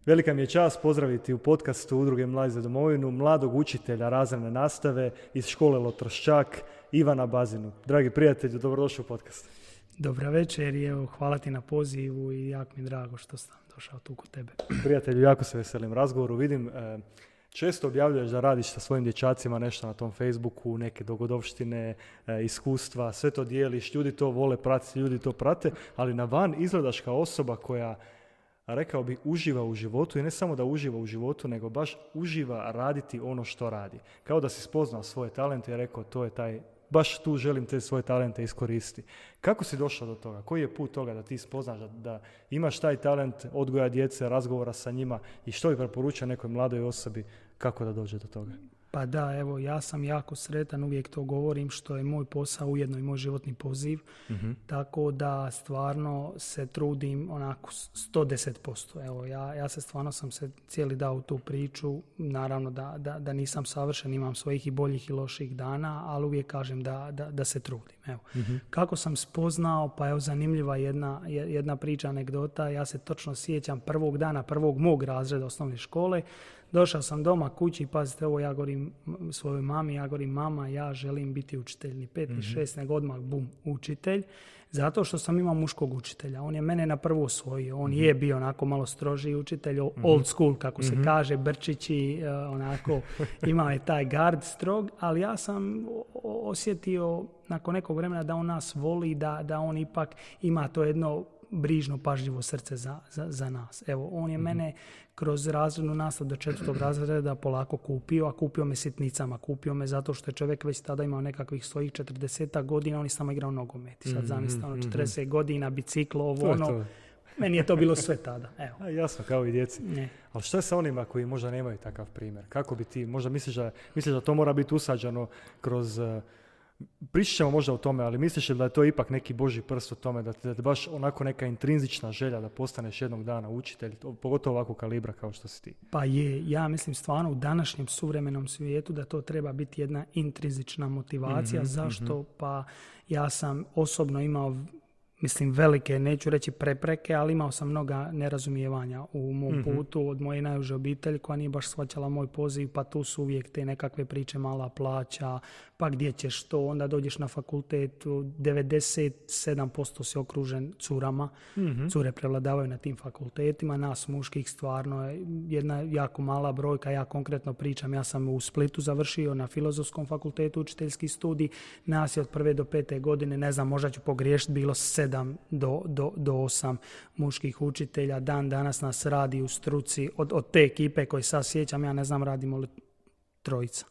Velika mi je čast pozdraviti u podcastu Udruge Mladi za domovinu mladog učitelja razredne nastave iz škole Lotroščak, Ivana Bazinu. Dragi prijatelji, dobrodošli u podcast. Dobra večer i evo, hvala ti na pozivu i jako mi je drago što sam došao tu kod tebe. Prijatelju, jako se veselim razgovoru. Vidim, često objavljuješ da radiš sa svojim dječacima nešto na tom Facebooku, neke dogodovštine, iskustva, sve to dijeliš, ljudi to vole pratiti, ljudi to prate, ali na van izgledaš kao osoba koja, rekao bih, uživa u životu i ne samo da uživa u životu, nego baš uživa raditi ono što radi. Kao da si spoznao svoje talente i rekao, to je taj, baš tu želim te svoje talente iskoristiti. Kako si došao do toga? Koji je put toga da ti spoznaš da imaš taj talent odgoja djece, razgovora sa njima i što bi preporučio nekoj mladoj osobi kako da dođe do toga? Pa da, evo, ja sam jako sretan, uvijek to govorim, što je moj posao ujedno i moj životni poziv, tako da stvarno se trudim onako 110%. Evo, ja se stvarno sam se cijeli dao u tu priču, naravno da nisam savršen, imam svojih i boljih i loših dana, ali uvijek kažem da se trudim. Evo. Kako sam spoznao, pa evo zanimljiva jedna priča, anegdota, ja se točno sjećam prvog dana, prvog mog razreda osnovne škole. Došao sam doma kući, pazite, ovo ja govorim svojoj mami, ja govorim, mama, ja želim biti učitelj, ni 5 ni 6, nego odmah bum, učitelj, zato što sam imao muškog učitelja. On je mene na prvo osvojio, on je bio onako malo strožiji učitelj, old school, kako se kaže, brčići, onako, imao je taj gard strog, ali ja sam osjetio nakon nekog vremena da on nas voli, da on ipak ima to jedno brižno, pažljivo srce za nas. Evo, on je mene kroz razrednu nastavu do 4. razreda polako kupio, a kupio me sitnicama. Kupio me zato što je čovjek već tada imao nekakvih svojih 40 godina, on je samo igrao nogomet. I sad zamislite, 40 godina, biciklo, ovo, ono. Meni je to bilo sve tada. Evo. Jasno, kao i djeci. Ne. Ali što je sa onima koji možda nemaju takav primjer? Kako bi ti, možda misliš da to mora biti usađeno kroz... Pričat ćemo možda o tome, ali misliš li da je to ipak neki Božji prst u tome, da te baš onako neka intrinzična želja da postaneš jednog dana učitelj, pogotovo ovakvog kalibra kao što si ti? Pa je, ja mislim stvarno u današnjem suvremenom svijetu da to treba biti jedna intrinzična motivacija. Zašto? Pa ja sam osobno imao, mislim, velike, neću reći prepreke, ali imao sam mnoga nerazumijevanja u mom putu od moje najuže obitelji koja nije baš shvaćala moj poziv, pa tu su uvijek te nekakve priče, mala plaća, pa gdje ćeš to, onda dođeš na fakultet, 97% si okružen curama, cure prevladavaju na tim fakultetima, nas muških stvarno je jedna jako mala brojka, ja konkretno pričam, ja sam u Splitu završio na Filozofskom fakultetu učiteljski studij, nas je od 1. do 5. godine, ne znam, možda ću pogriješiti, bilo 7 do 8 muških učitelja. Dan danas nas radi u struci od te ekipe koje sad sjećam, ja ne znam radimo li 3.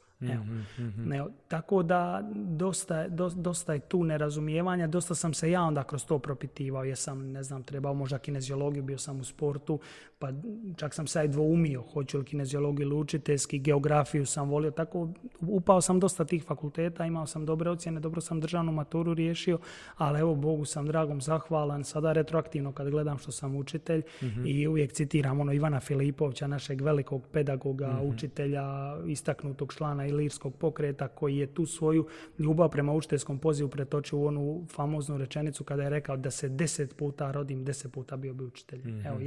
Evo. Tako da dosta je tu nerazumijevanja, dosta sam se ja onda kroz to propitivao, jesam, ne znam, trebao možda kineziologiju, bio sam u sportu, pa čak sam se i dvoumio, hoću li kineziologiju ili učiteljski, geografiju sam volio, tako upao sam dosta tih fakulteta, imao sam dobre ocjene, dobro sam državnu maturu riješio, ali evo, Bogu sam dragom zahvalan, sada retroaktivno kad gledam što sam učitelj i uvijek citiram Ivana Filipovića, našeg velikog pedagoga, učitelja, istaknutog člana Ilirskog pokreta, koji je tu svoju ljubav prema učiteljskom pozivu pretočio u onu famoznu rečenicu kada je rekao da se 10 puta rodim, 10 puta bio bi učitelj. Evo,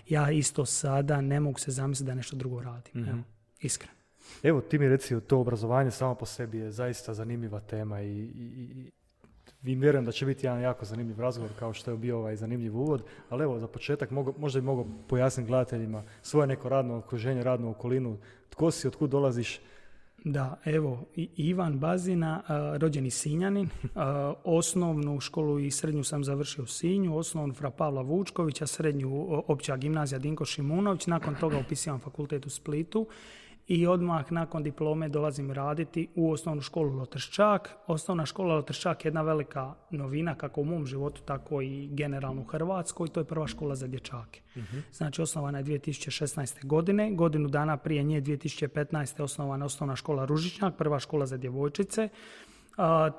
ja isto sada ne mogu se zamisliti da nešto drugo radim. Evo, iskreno. Evo, ti mi reci, to obrazovanje samo po sebi je zaista zanimljiva tema i vjerujem da će biti jedan jako zanimljiv razgovor kao što je bio ovaj zanimljiv uvod, ali evo, za početak možda bi mogao pojasniti gledateljima svoje neko radno okruženje, radnu okolinu, tko si, otkud dolaziš. Da, evo, Ivan Bazina, rođeni Sinjanin, osnovnu školu i srednju sam završio u Sinju, osnovnu Fra Pavla Vučkovića, srednju Opća gimnazija Dinko Šimunović, nakon toga upisivam fakultet u Splitu i odmah nakon diplome dolazim raditi u osnovnu školu Lotroščak. Osnovna škola Lotroščak je jedna velika novina kako u mom životu, tako i generalno u Hrvatskoj. To je prva škola za dječake. Znači, osnovana je 2016. godine. Godinu dana prije nje, 2015. osnovana je osnovna škola Ružičnjak, prva škola za djevojčice.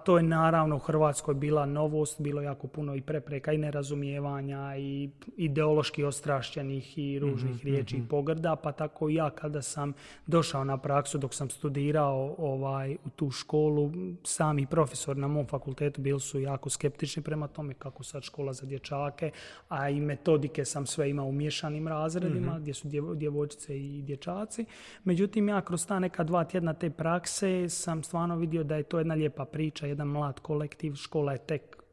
To je naravno u Hrvatskoj bila novost, bilo jako puno i prepreka i nerazumijevanja i ideološki ostrašćenih i ružnih riječi i pogrda, pa tako i ja kada sam došao na praksu dok sam studirao u tu školu, sami profesori na mom fakultetu bili su jako skeptični prema tome kako sad škola za dječake, a i metodike sam sve imao u miješanim razredima gdje su djevojčice i dječaci. Međutim, ja kroz ta neka 2 tjedna te prakse sam stvarno vidio da je to jedna lijepa priča, jedan mlad kolektiv, škola je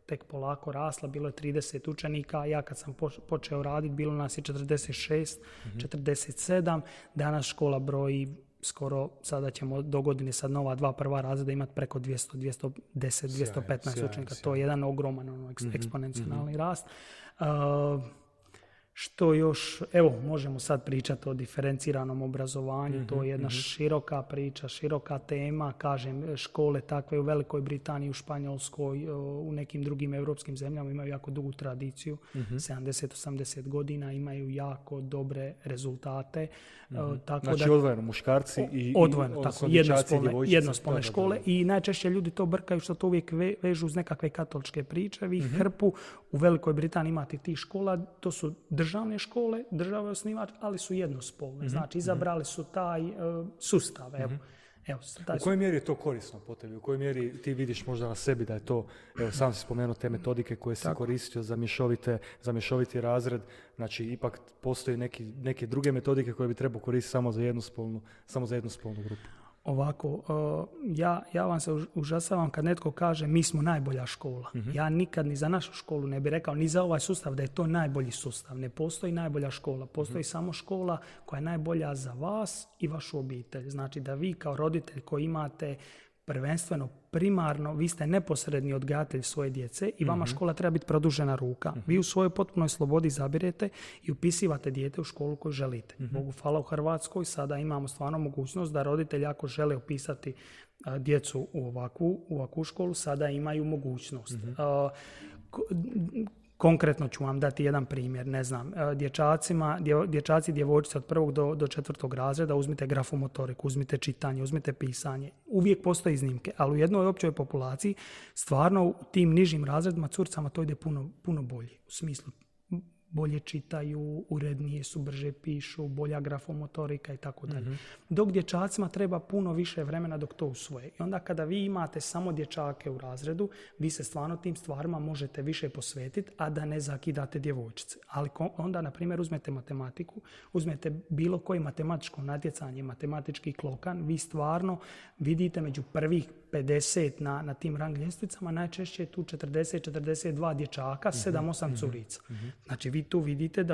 tek polako rasla, bilo je 30 učenika, ja kad sam počeo raditi bilo nas je 46, 47, danas škola broji skoro, sada ćemo do godine sad nova 2 prva razreda imati preko 200, 210, 215 učenika, to je jedan ogroman eksponencijalni rast. Što još, evo, možemo sad pričati o diferenciranom obrazovanju, to je jedna široka priča, široka tema, kažem, škole takve u Velikoj Britaniji, u Španjolskoj, u nekim drugim europskim zemljama imaju jako dugu tradiciju, 70-80 godina, imaju jako dobre rezultate. Tako znači da, odvojeno muškarci i odvojeno, tako, jednospolne škole i najčešće ljudi to brkaju što to uvijek vežu uz nekakve katoličke priče. Vi hrpu u Velikoj Britaniji imate tih škola, to su državne škole, država je osnivač, ali su jednospolne. Znači, izabrali su taj sustav. U kojoj mjeri je to korisno po tebi? U kojoj mjeri ti vidiš možda na sebi da je to, evo sam si spomenuo te metodike koje si koristio za mješoviti razred, znači ipak postoji neke druge metodike koje bi trebao koristiti samo za jednospolnu grupu. Ovako, ja vam se užasavam kad netko kaže mi smo najbolja škola. Ja nikad ni za našu školu ne bih rekao, ni za ovaj sustav da je to najbolji sustav. Ne postoji najbolja škola, postoji samo škola koja je najbolja za vas i vašu obitelj. Znači da vi kao roditelj koji imate prvenstveno, primarno, vi ste neposredni odgajatelj svoje djece i vama škola treba biti produžena ruka. Vi u svojoj potpunoj slobodi izabirete i upisivate dijete u školu koju želite. Bogu hvala, u Hrvatskoj sada imamo stvarno mogućnost da roditelji ako žele upisati djecu u ovakvu školu, sada imaju mogućnost. Konkretno ću vam dati jedan primjer, ne znam, dječaci i djevojčice od 1. do 4. razreda, uzmite grafomotoriku, uzmite čitanje, uzmite pisanje. Uvijek postoje iznimke, ali u jednoj općoj populaciji stvarno u tim nižim razredima curicama to ide puno bolje. U smislu bolje čitaju, urednije su, brže pišu, bolja grafomotorika i tako dalje. Dok dječacima treba puno više vremena dok to usvoje. I onda kada vi imate samo dječake u razredu, vi se stvarno tim stvarima možete više posvetiti, a da ne zakidate djevojčice. Ali onda, na primjer, uzmete matematiku, uzmete bilo koje matematičko natjecanje, matematički klokan, vi stvarno vidite među prvih 50 na tim rang ljestvicama, najčešće je tu 40-42 dječaka, 7-8 curica. Znači vi tu vidite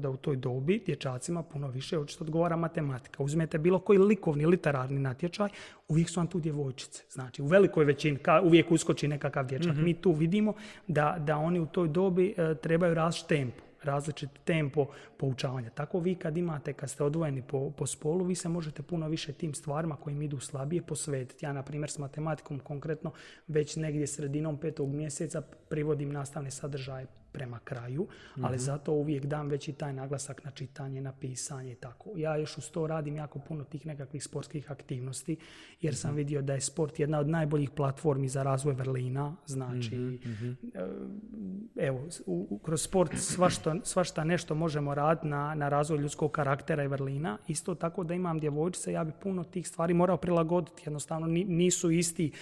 da u toj dobi dječacima puno više očito odgovara matematika. Uzmete bilo koji likovni, literarni natječaj, uvijek su vam tu djevojčice. Znači u velikoj većini uvijek uskoči nekakav dječak. Mi tu vidimo da oni u toj dobi trebaju različit tempo poučavanja. Tako vi kad ste odvojeni po spolu, vi se možete puno više tim stvarima kojim idu slabije posvetiti. Ja, na primjer, s matematikom konkretno već negdje sredinom 5. mjeseca privodim nastavne sadržaje prema kraju, ali zato uvijek dam veći taj naglasak na čitanje, na pisanje i tako. Ja još uz to radim jako puno tih nekakvih sportskih aktivnosti, jer sam vidio da je sport jedna od najboljih platformi za razvoj vrlina. Znači, evo, kroz sport svašta nešto možemo raditi na razvoj ljudskog karaktera i vrlina. Isto tako da imam djevojčice, ja bi puno tih stvari morao prilagoditi. Jednostavno nisu isti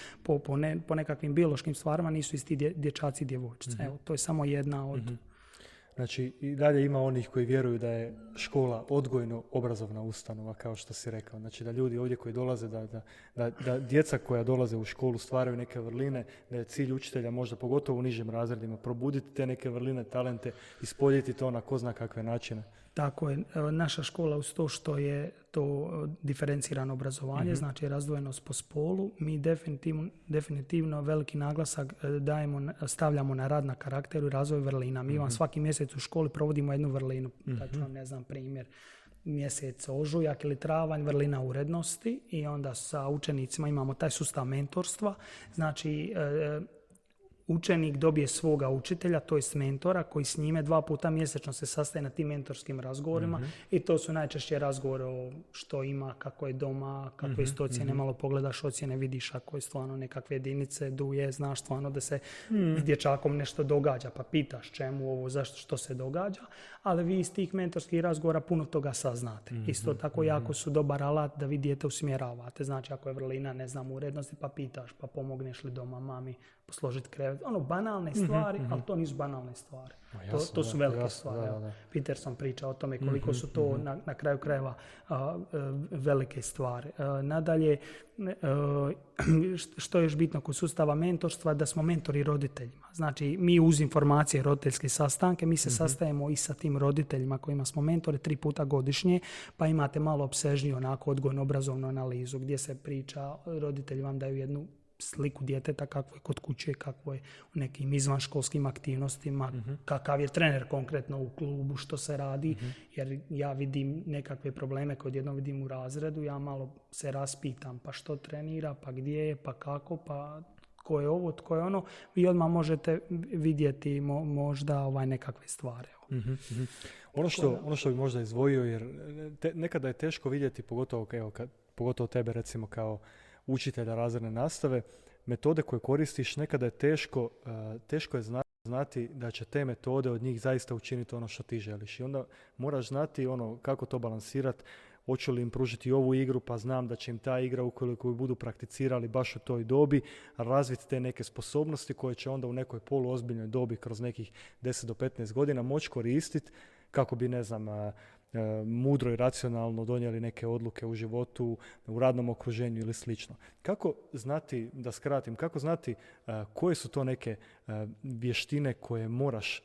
po nekakvim biološkim stvarima, nisu isti dječaci i djevojčice. Evo, to je samo jedna od... Znači, i dalje ima onih koji vjeruju da je škola odgojno-obrazovna ustanova, kao što si rekao. Znači, da ljudi ovdje koji dolaze, da djeca koja dolaze u školu stvaraju neke vrline, da je cilj učitelja možda pogotovo u nižim razredima probuditi te neke vrline, talente, ispoljiti to na ko zna kakve načine. Tako je. Naša škola uz to što je to diferencirano obrazovanje, znači razdvojenost po spolu, mi definitivno veliki naglasak stavljamo na rad na karakteru i razvoj vrlina. Mi vam svaki mjesec u školi provodimo jednu vrlinu. Znači, ne znam, primjer, mjesec ožujak ili travanj, vrlina urednosti, i onda sa učenicima imamo taj sustav mentorstva. Znači, učenik dobije svoga učitelja, to je mentora, koji s njime 2 puta mjesečno se sastaje na tim mentorskim razgovorima i to su najčešće razgovori o što ima, kako je doma, kakve isto ocjene, malo pogledaš ocjene, vidiš ako je stvarno nekakve jedinice, duje, znaš stvarno da se s dječakom nešto događa, pa pitaš čemu ovo, zašto, što se događa, ali vi iz tih mentorskih razgovora puno toga saznate. Isto tako jako su dobar alat da vi dijete usmjeravate. Znači ako je vrlina, ne znam, urednosti, pa pitaš, pa pomogneš li doma mami posložiti krevet. Banalne stvari, ali to nisu banalne stvari. To su velike stvari. Da. Peterson priča o tome koliko su to na kraju krajeva velike stvari. Nadalje, što je još bitno kod sustava mentorstva, da smo mentori roditeljima. Znači, mi uz informacije roditeljske sastanke, mi se sastajemo i sa tim roditeljima kojima smo mentori 3 puta godišnje, pa imate malo opsežniju onako odgojno-obrazovnu analizu gdje se priča, roditelji vam daju jednu sliku djeteta kako je kod kuće, kako je u nekim izvanškolskim aktivnostima, kakav je trener konkretno u klubu, što se radi, jer ja vidim nekakve probleme koje jednom vidim u razredu, ja malo se raspitam, pa što trenira, pa gdje je, pa kako, pa tko je ovo, tko je ono, vi odmah možete vidjeti možda nekakve stvari. Ono što bi možda izdvojio, jer nekada je teško vidjeti, pogotovo tebe recimo kao učitelja razredne nastave, metode koje koristiš, nekada je teško je znati da će te metode od njih zaista učiniti ono što ti želiš. I onda moraš znati kako to balansirati, hoću li im pružiti ovu igru, pa znam da će im ta igra, ukoliko ju budu prakticirali baš u toj dobi, razviti te neke sposobnosti koje će onda u nekoj poluozbiljnoj dobi kroz nekih 10 do 15 godina moći koristiti kako bi, mudro i racionalno donijeli neke odluke u životu, u radnom okruženju ili slično. Kako znati, da skratim, koje su to neke vještine koje moraš,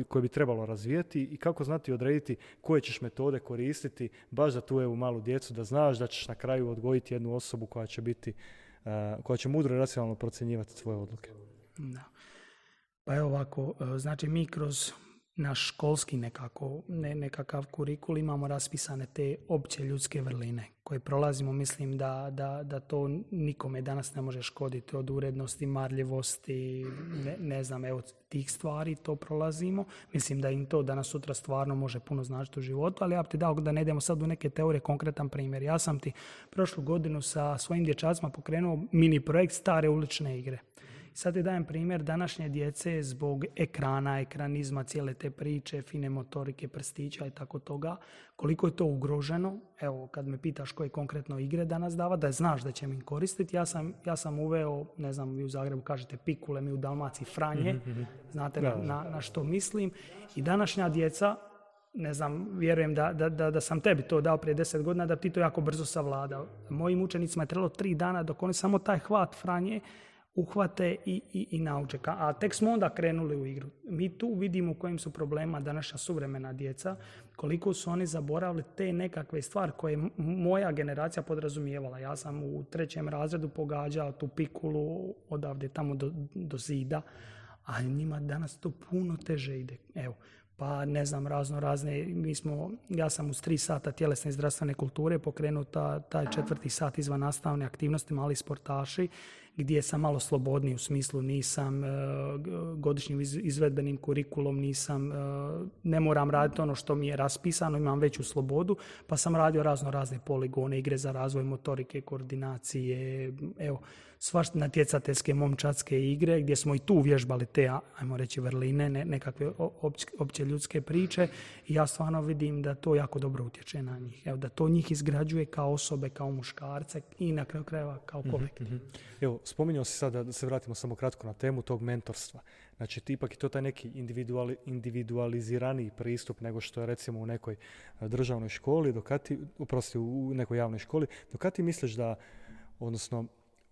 koje bi trebalo razvijeti i kako znati odrediti koje ćeš metode koristiti baš za tu malu djecu, da znaš da ćeš na kraju odgojiti jednu osobu koja će mudro i racionalno procjenjivati svoje odluke. Da. Pa evo ovako, znači mi kroz naš školski nekakav kurikul imamo raspisane te opće ljudske vrline koje prolazimo. Mislim da to nikome danas ne može škoditi, od urednosti, marljivosti, tih stvari to prolazimo. Mislim da im to danas sutra stvarno može puno značiti u životu, ali ja bi ti dao da ne idemo sad u neke teorije, konkretan primjer. Ja sam ti prošlu godinu sa svojim dječacima pokrenuo mini projekt stare ulične igre. Sad ti dajem primjer današnje djece zbog ekrana, ekranizma, cijele te priče, fine motorike, prstića i tako toga. Koliko je to ugroženo? Evo, kad me pitaš koje konkretno igre danas dava, da znaš da će mi koristiti, ja sam uveo, ne znam, vi u Zagrebu kažete pikule, mi u Dalmaciji franje, znate na što mislim. I današnja djeca, ne znam, vjerujem da sam tebi to dao prije 10 godina, da ti to jako brzo savladao. Mojim učenicima je trebalo 3 dana dok oni samo taj hvat franje uhvate i nauče. A tek smo onda krenuli u igru. Mi tu vidimo u kojim su problema današnja suvremena djeca, koliko su oni zaboravili te nekakve stvari koje moja generacija podrazumijevala. Ja sam u 3. razredu pogađao tu pikulu odavde tamo do zida, a njima danas to puno teže ide. Evo, pa ne znam, razne, ja sam uz 3 sata tjelesne i zdravstvene kulture pokrenuo taj 4. sat izvan nastavne aktivnosti, mali sportaši, gdje sam malo slobodniji, u smislu nisam godišnjim izvedbenim kurikulom, ne moram raditi ono što mi je raspisano, imam veću slobodu, pa sam radio razne poligone, igre za razvoj motorike, koordinacije, svašta natjecateljske momčadske igre, gdje smo i tu vježbali te, ajmo reći, vrline, nekakve opće ljudske priče, i ja stvarno vidim da to jako dobro utječe na njih. Da to njih izgrađuje kao osobe, kao muškarce i na kraju krajeva kao kolektiv. Evo, spominjao si sad, da se vratimo samo kratko na temu tog mentorstva. Znači, ipak je to taj neki individualiziraniji pristup nego što je recimo u nekoj državnoj školi, u nekoj javnoj školi. Do kad ti misliš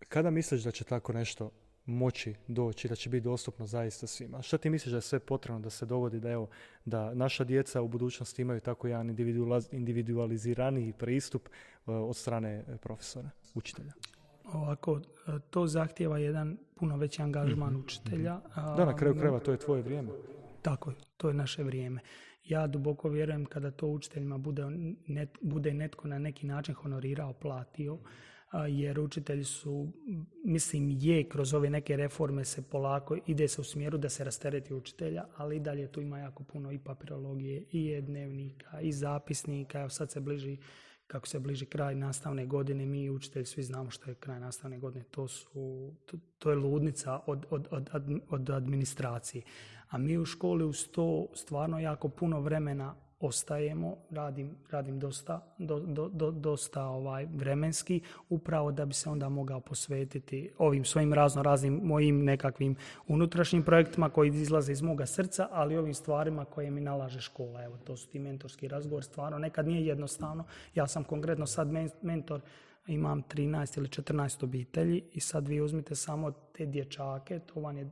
kada misliš da će tako nešto moći doći, da će biti dostupno zaista svima? Šta ti misliš da je sve potrebno da se dogodi da naša djeca u budućnosti imaju tako jedan individualiziraniji pristup od strane profesora, učitelja? Ovako, to zahtijeva jedan puno veći angažman učitelja. Da, na kraju krajeva to je tvoje vrijeme. Tako je, to je naše vrijeme. Ja duboko vjerujem kada to učiteljima bude netko na neki način honorirao, platio, jer učitelji su, mislim, kroz ove neke reforme se polako ide se u smjeru da se rastereti učitelja, ali i dalje tu ima jako puno i papirologije, i e-dnevnika, i zapisnika. Evo sad se bliži, kako se bliži kraj nastavne godine, mi učitelji svi znamo što je kraj nastavne godine, to je ludnica od administracije. A mi u školi uz to stvarno jako puno vremena ostajemo, radim dosta vremenski, upravo da bi se onda mogao posvetiti ovim svojim raznim mojim nekakvim unutrašnjim projektima koji izlaze iz moga srca, ali ovim stvarima koje mi nalaže škola. Evo, to su ti mentorski razgovor, stvarno nekad nije jednostavno. Ja sam konkretno sad mentor, imam 13 ili 14 obitelji i sad vi uzmite samo te dječake, to vam je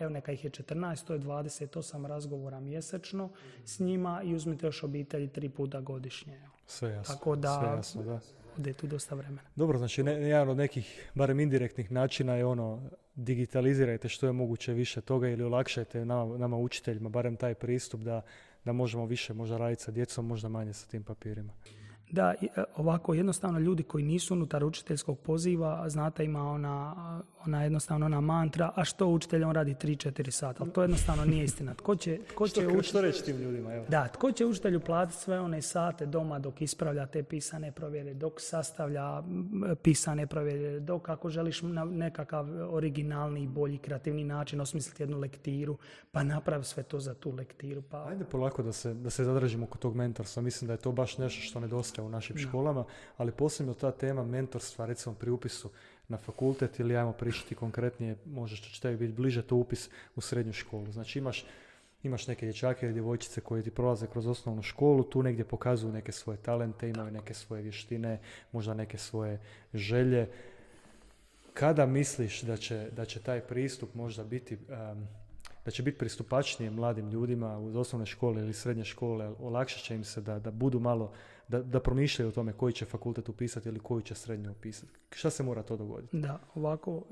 evo neka ih je 14, to je 28 razgovora mjesečno s njima i uzmite još obitelji 3 puta godišnje. Evo. Sve jasno. Tako da, sve jasno, da. Ode tu dosta vremena. Dobro, znači jedan od nekih, barem indirektnih načina je digitalizirajte što je moguće više toga ili olakšajte nama učiteljima, barem taj pristup da možemo više možda raditi sa djecom, možda manje sa tim papirima. Da, ovako jednostavno ljudi koji nisu unutar učiteljskog poziva, znate, ima ona jednostavno ona mantra, a što učitelj on radi 3-4 sata, ali to jednostavno nije istina. Što reći tim ljudima? Evo. Da, tko će učitelju platiti sve one sate doma dok ispravlja te pisane provjere, dok sastavlja pisane provjere, dok ako želiš na nekakav originalni, bolji, kreativni način osmisliti jednu lektiru, pa napravi sve to za tu lektiru. Pa... Ajde polako da se zadržimo kod tog mentorstva. Mislim da je to baš nešto što nedostaje u našim školama, ali posebno ta tema mentorstva, recimo pri upisu na fakultet ili ajmo pričati konkretnije, možda što će tebi biti bliže, to upis u srednju školu. Znači imaš neke dječake ili djevojčice koji ti prolaze kroz osnovnu školu, tu negdje pokazuju neke svoje talente, imaju neke svoje vještine, možda neke svoje želje. Kada misliš da će taj pristup možda biti da će biti pristupačnije mladim ljudima uz osnovne škole ili srednje škole, olakšat će im se da budu malo, da promišljaju o tome koji će fakultet upisati ili koju će srednju upisati. Šta se mora to dogoditi? Da, ovako,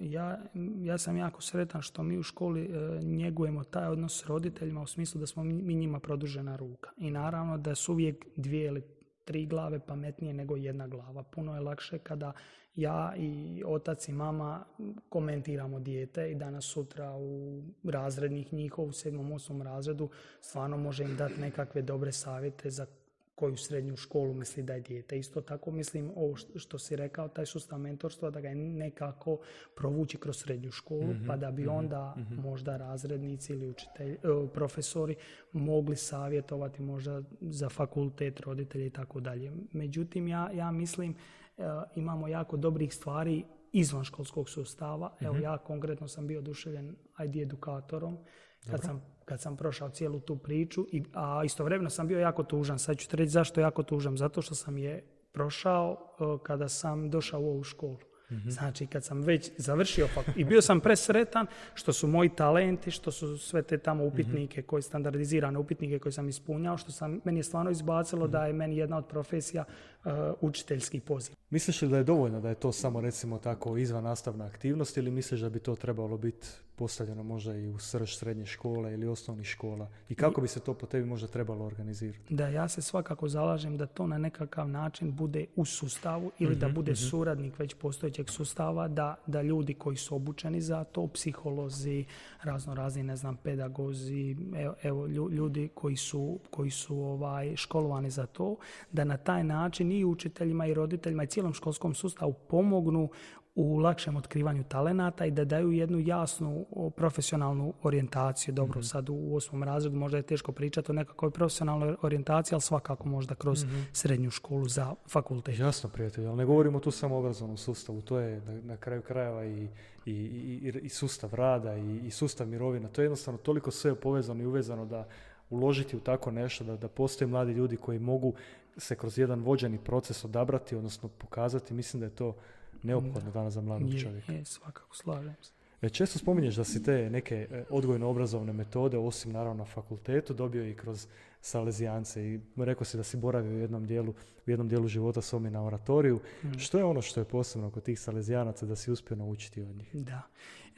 ja sam jako sretan što mi u školi njegujemo taj odnos s roditeljima u smislu da smo mi njima produžena ruka. I naravno da su uvijek 2 ili 3 glave pametnije nego 1 glava. Puno je lakše kada ja i otac i mama komentiramo dijete i danas sutra u razrednih njihov u 7. 8. razredu stvarno može im dati nekakve dobre savjete za koju srednju školu misli da je dijete. Isto tako mislim ovo što si rekao, taj sustav mentorstva da ga je nekako provući kroz srednju školu, pa da bi onda možda razrednici ili profesori mogli savjetovati možda za fakultet, roditelji i tako dalje. Međutim, ja mislim imamo jako dobrih stvari izvan školskog sustava. Evo ja konkretno sam bio oduševljen ID edukatorom kad sam prošao cijelu tu priču, a istovremeno sam bio jako tužan. Sad ću ti reći zašto jako tužan. Zato što sam je prošao kada sam došao u ovu školu. Znači, kad sam već završio i bio sam presretan što su moji talenti, što su sve te tamo upitnike, koje standardizirane upitnike koje sam ispunjao, meni je stvarno izbacilo da je meni jedna od profesija učiteljski poziv. Misliš li da je dovoljno da je to samo recimo tako izvan nastavna aktivnost ili misliš da bi to trebalo biti postavljeno možda i u srž srednje škole ili osnovnih škola? I kako bi se to po tebi možda trebalo organizirati? Da, ja se svakako zalažem da to na nekakav način bude u sustavu ili da bude suradnik već postojećeg sustava, da ljudi koji su obučeni za to, psiholozi, raznorazni, ne znam, pedagozi, evo ljudi koji su školovani za to, da na taj način i učiteljima i roditeljima i cijelom školskom sustavu pomognu u lakšem otkrivanju talenata i da daju jednu jasnu profesionalnu orijentaciju. Dobro, sad u 8. razredu možda je teško pričati o nekakvoj profesionalnoj orijentaciji, ali svakako možda kroz srednju školu za fakultet. Jasno, prijatelj, ali ne govorimo tu samo o obrazovnom sustavu, to je na kraju krajeva i sustav rada i sustav mirovina. To je jednostavno toliko sve povezano i uvezano da uložiti u tako nešto, da postoje mladi ljudi koji mogu se kroz jedan vođeni proces odabrati, odnosno pokazati. Mislim da je to neophodno danas za mladog čovjeka. Svakako, slažem se. Često spominješ da si te neke odgojno-obrazovne metode, osim naravno na fakultetu, dobio i kroz salezijance i rekao si da si boravio u jednom dijelu života s ovim na oratoriju. Što je ono što je posebno kod tih salezijanaca da si uspio naučiti od njih? Da.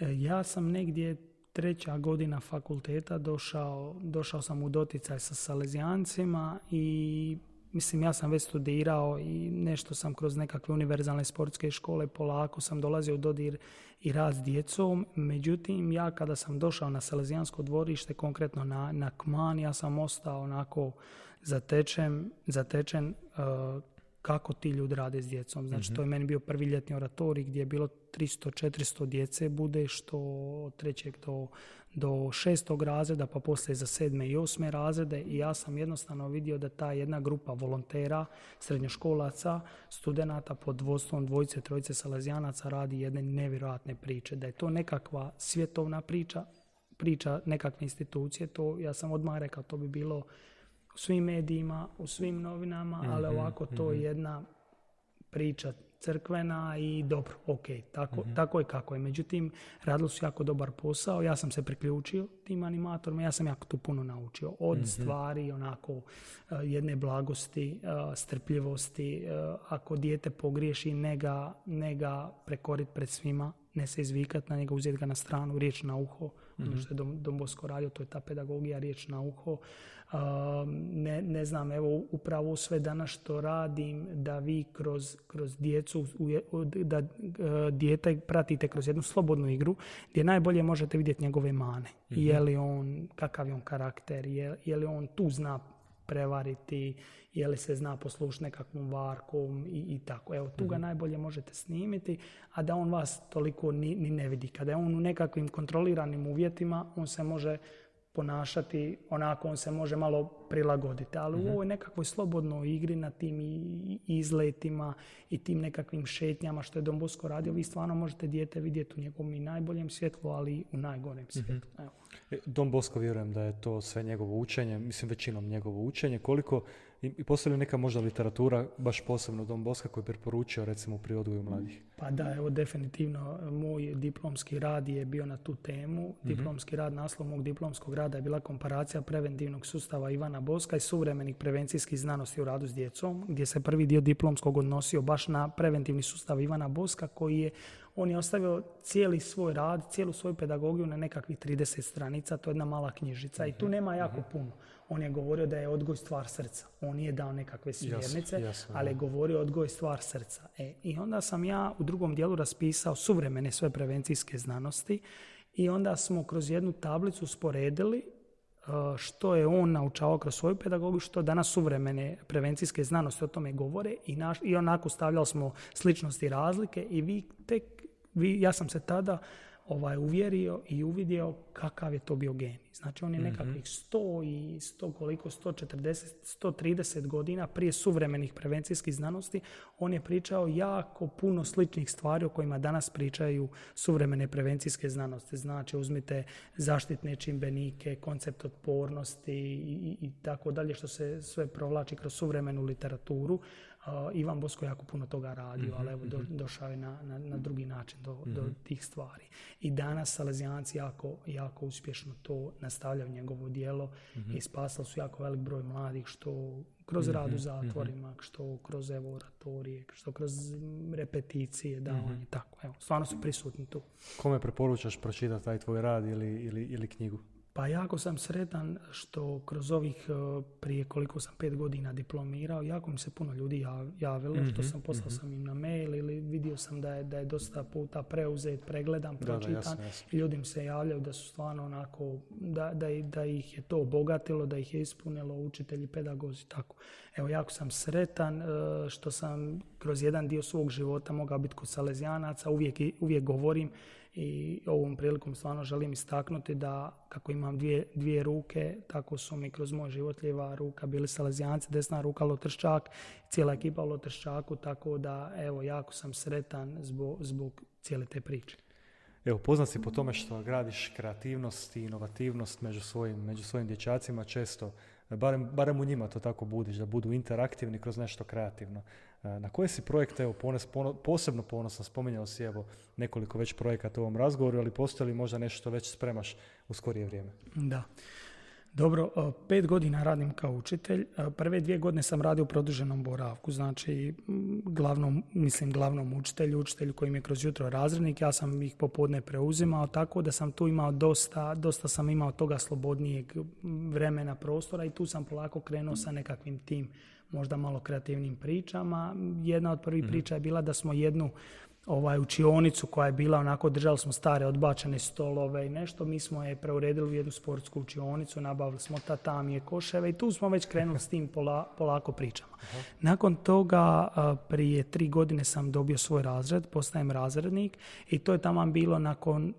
Ja sam negdje 3. godina fakulteta došao sam u doticaj sa salezijancima i mislim, ja sam već studirao i nešto sam kroz nekakve univerzalne sportske škole polako sam dolazio u dodir i rad s djecom. Međutim, ja kada sam došao na Salezijansko dvorište, konkretno na Kman, ja sam ostao onako zatečen kako ti ljudi rade s djecom. Znači, to je meni bio prvi ljetni oratorij gdje je bilo 300-400 djece bude, što od 3. do 6. razreda, pa poslije za 7. i 8. razrede. I ja sam jednostavno vidio da ta jedna grupa volontera, srednjoškolaca, studenata pod vodstvom 2-3 salezijanaca radi jedne nevjerojatne priče. Da je to nekakva svjetovna priča nekakve institucije, to ja sam odmah rekao, to bi bilo u svim medijima, u svim novinama, ali ovako to je jedna priča crkvena i dobro, ok, tako je kako je. Međutim, radili su jako dobar posao, ja sam se priključio tim animatorima, ja sam jako tu puno naučio. Od stvari, onako, jedne blagosti, strpljivosti, ako dijete pogriješi, ne ga prekoriti pred svima, ne se izvikati na njega, uzeti ga na stranu, riječ na uho, ono što je Don Bosco radio, to je ta pedagogija, riječ na uho. Ne znam, evo upravo sve danas što radim, da vi kroz djecu, da dijete pratite kroz jednu slobodnu igru, gdje najbolje možete vidjeti njegove mane. Je li on, kakav je on karakter, je li on tu zna prevariti, je li se zna poslušati nekakvom varkom i tako. Evo, tu ga najbolje možete snimiti, a da on vas toliko ni ne vidi. Kada je on u nekakvim kontroliranim uvjetima, on se može ponašati onako, on se može malo prilagoditi. Ali u ovoj nekakvoj slobodnoj igri na tim izletima i tim nekakvim šetnjama što je Don Bosco radio, vi stvarno možete dijete vidjeti u njegovom i najboljem svjetlu, ali i u najgorem svjetlu. Evo. Don Bosco, vjerujem da je to sve njegovo učenje, mislim većinom njegovo učenje. Koliko, i postoji li neka možda literatura, baš posebno Don Bosca, koji je preporučio recimo pri odgoju mladih? Pa da, evo definitivno moj diplomski rad je bio na tu temu. Diplomski rad, naslov mog diplomskog rada je bila komparacija preventivnog sustava Ivana Boska i suvremenih prevencijskih znanosti u radu s djecom, gdje se prvi dio diplomskog odnosio baš na preventivni sustav Ivana Boska, on je ostavio cijeli svoj rad, cijelu svoju pedagogiju na nekakvih 30 stranica, to je jedna mala knjižica i tu nema jako puno. On je govorio da je odgoj stvar srca. On nije dao nekakve smjernice, ali je govorio odgoj stvar srca. I onda sam ja u drugom dijelu raspisao suvremene sve prevencijske znanosti i onda smo kroz jednu tablicu sporedili što je on naučavao kroz svoju pedagogiju, što danas suvremene prevencijske znanosti o tome govore i onako stavljali smo sličnosti i razlike i ja sam se tada uvjerio i uvidio kakav je to bio genij. Znači on je nekakvih 130 godina prije suvremenih prevencijskih znanosti, on je pričao jako puno sličnih stvari o kojima danas pričaju suvremene prevencijske znanosti. Znači uzmite zaštitne čimbenike, koncept otpornosti i tako dalje, što se sve provlači kroz suvremenu literaturu. Ivan Bosko jako puno toga radio, ali evo došao je na drugi način do tih stvari. I danas Salezijanci jako uspješno to nastavljaju njegovo djelo i spasali su jako velik broj mladih, što kroz rad u zatvorima, što kroz oratorije, što kroz repeticije, davanje, tako. Evo, stvarno su prisutni tu. Kome preporučaš pročitati taj tvoj rad ili knjigu? Pa jako sam sretan što kroz ovih prije koliko sam 5 godina diplomirao, jako mi se puno ljudi javilo, što sam poslao sam im na mail ili vidio sam da je dosta puta preuzet, pregledan, pročitan. Jasno. I ljudi mi se javljaju da su stvarno onako, da ih je to obogatilo, da ih je ispunilo, učitelji, pedagozi, tako. Evo, jako sam sretan što sam kroz jedan dio svog života mogao biti kod Salezijanaca, uvijek govorim i ovom prilikom stvarno želim istaknuti da kako imam dvije ruke, tako su mi kroz moj život lijeva ruka bili Salezijanci, desna ruka Lotrščak, cijela ekipa u Lotrščaku, tako da evo, jako sam sretan zbog cijele te priče. Evo, poznat si po tome što gradiš kreativnost i inovativnost među svojim dječacima, često, barem u njima to tako budiš, da budu interaktivni kroz nešto kreativno. Na koje si projekte, evo, posebno ponosan, spominjao si evo nekoliko već projekata u ovom razgovoru, ali postoji li možda nešto što već spremaš u skorije vrijeme? Da. Dobro, 5 godina radim kao učitelj. Prve 2 godine sam radio u produženom boravku, znači glavnom učitelju koji mi je kroz jutro razrednik, ja sam ih popodne preuzimao, tako da sam tu imao dosta sam imao toga slobodnijeg vremena, prostora i tu sam polako krenuo sa nekakvim tim možda malo kreativnim pričama. Jedna od prvih priča je bila da smo jednu učionicu koja je bila onako, držali smo stare odbačene stolove i nešto, mi smo je preuredili u jednu sportsku učionicu, nabavili smo tatamije, koševe i tu smo već krenuli s tim polako pričama. Nakon toga, prije 3 godine sam dobio svoj razred, postajem razrednik i to je taman bilo nakon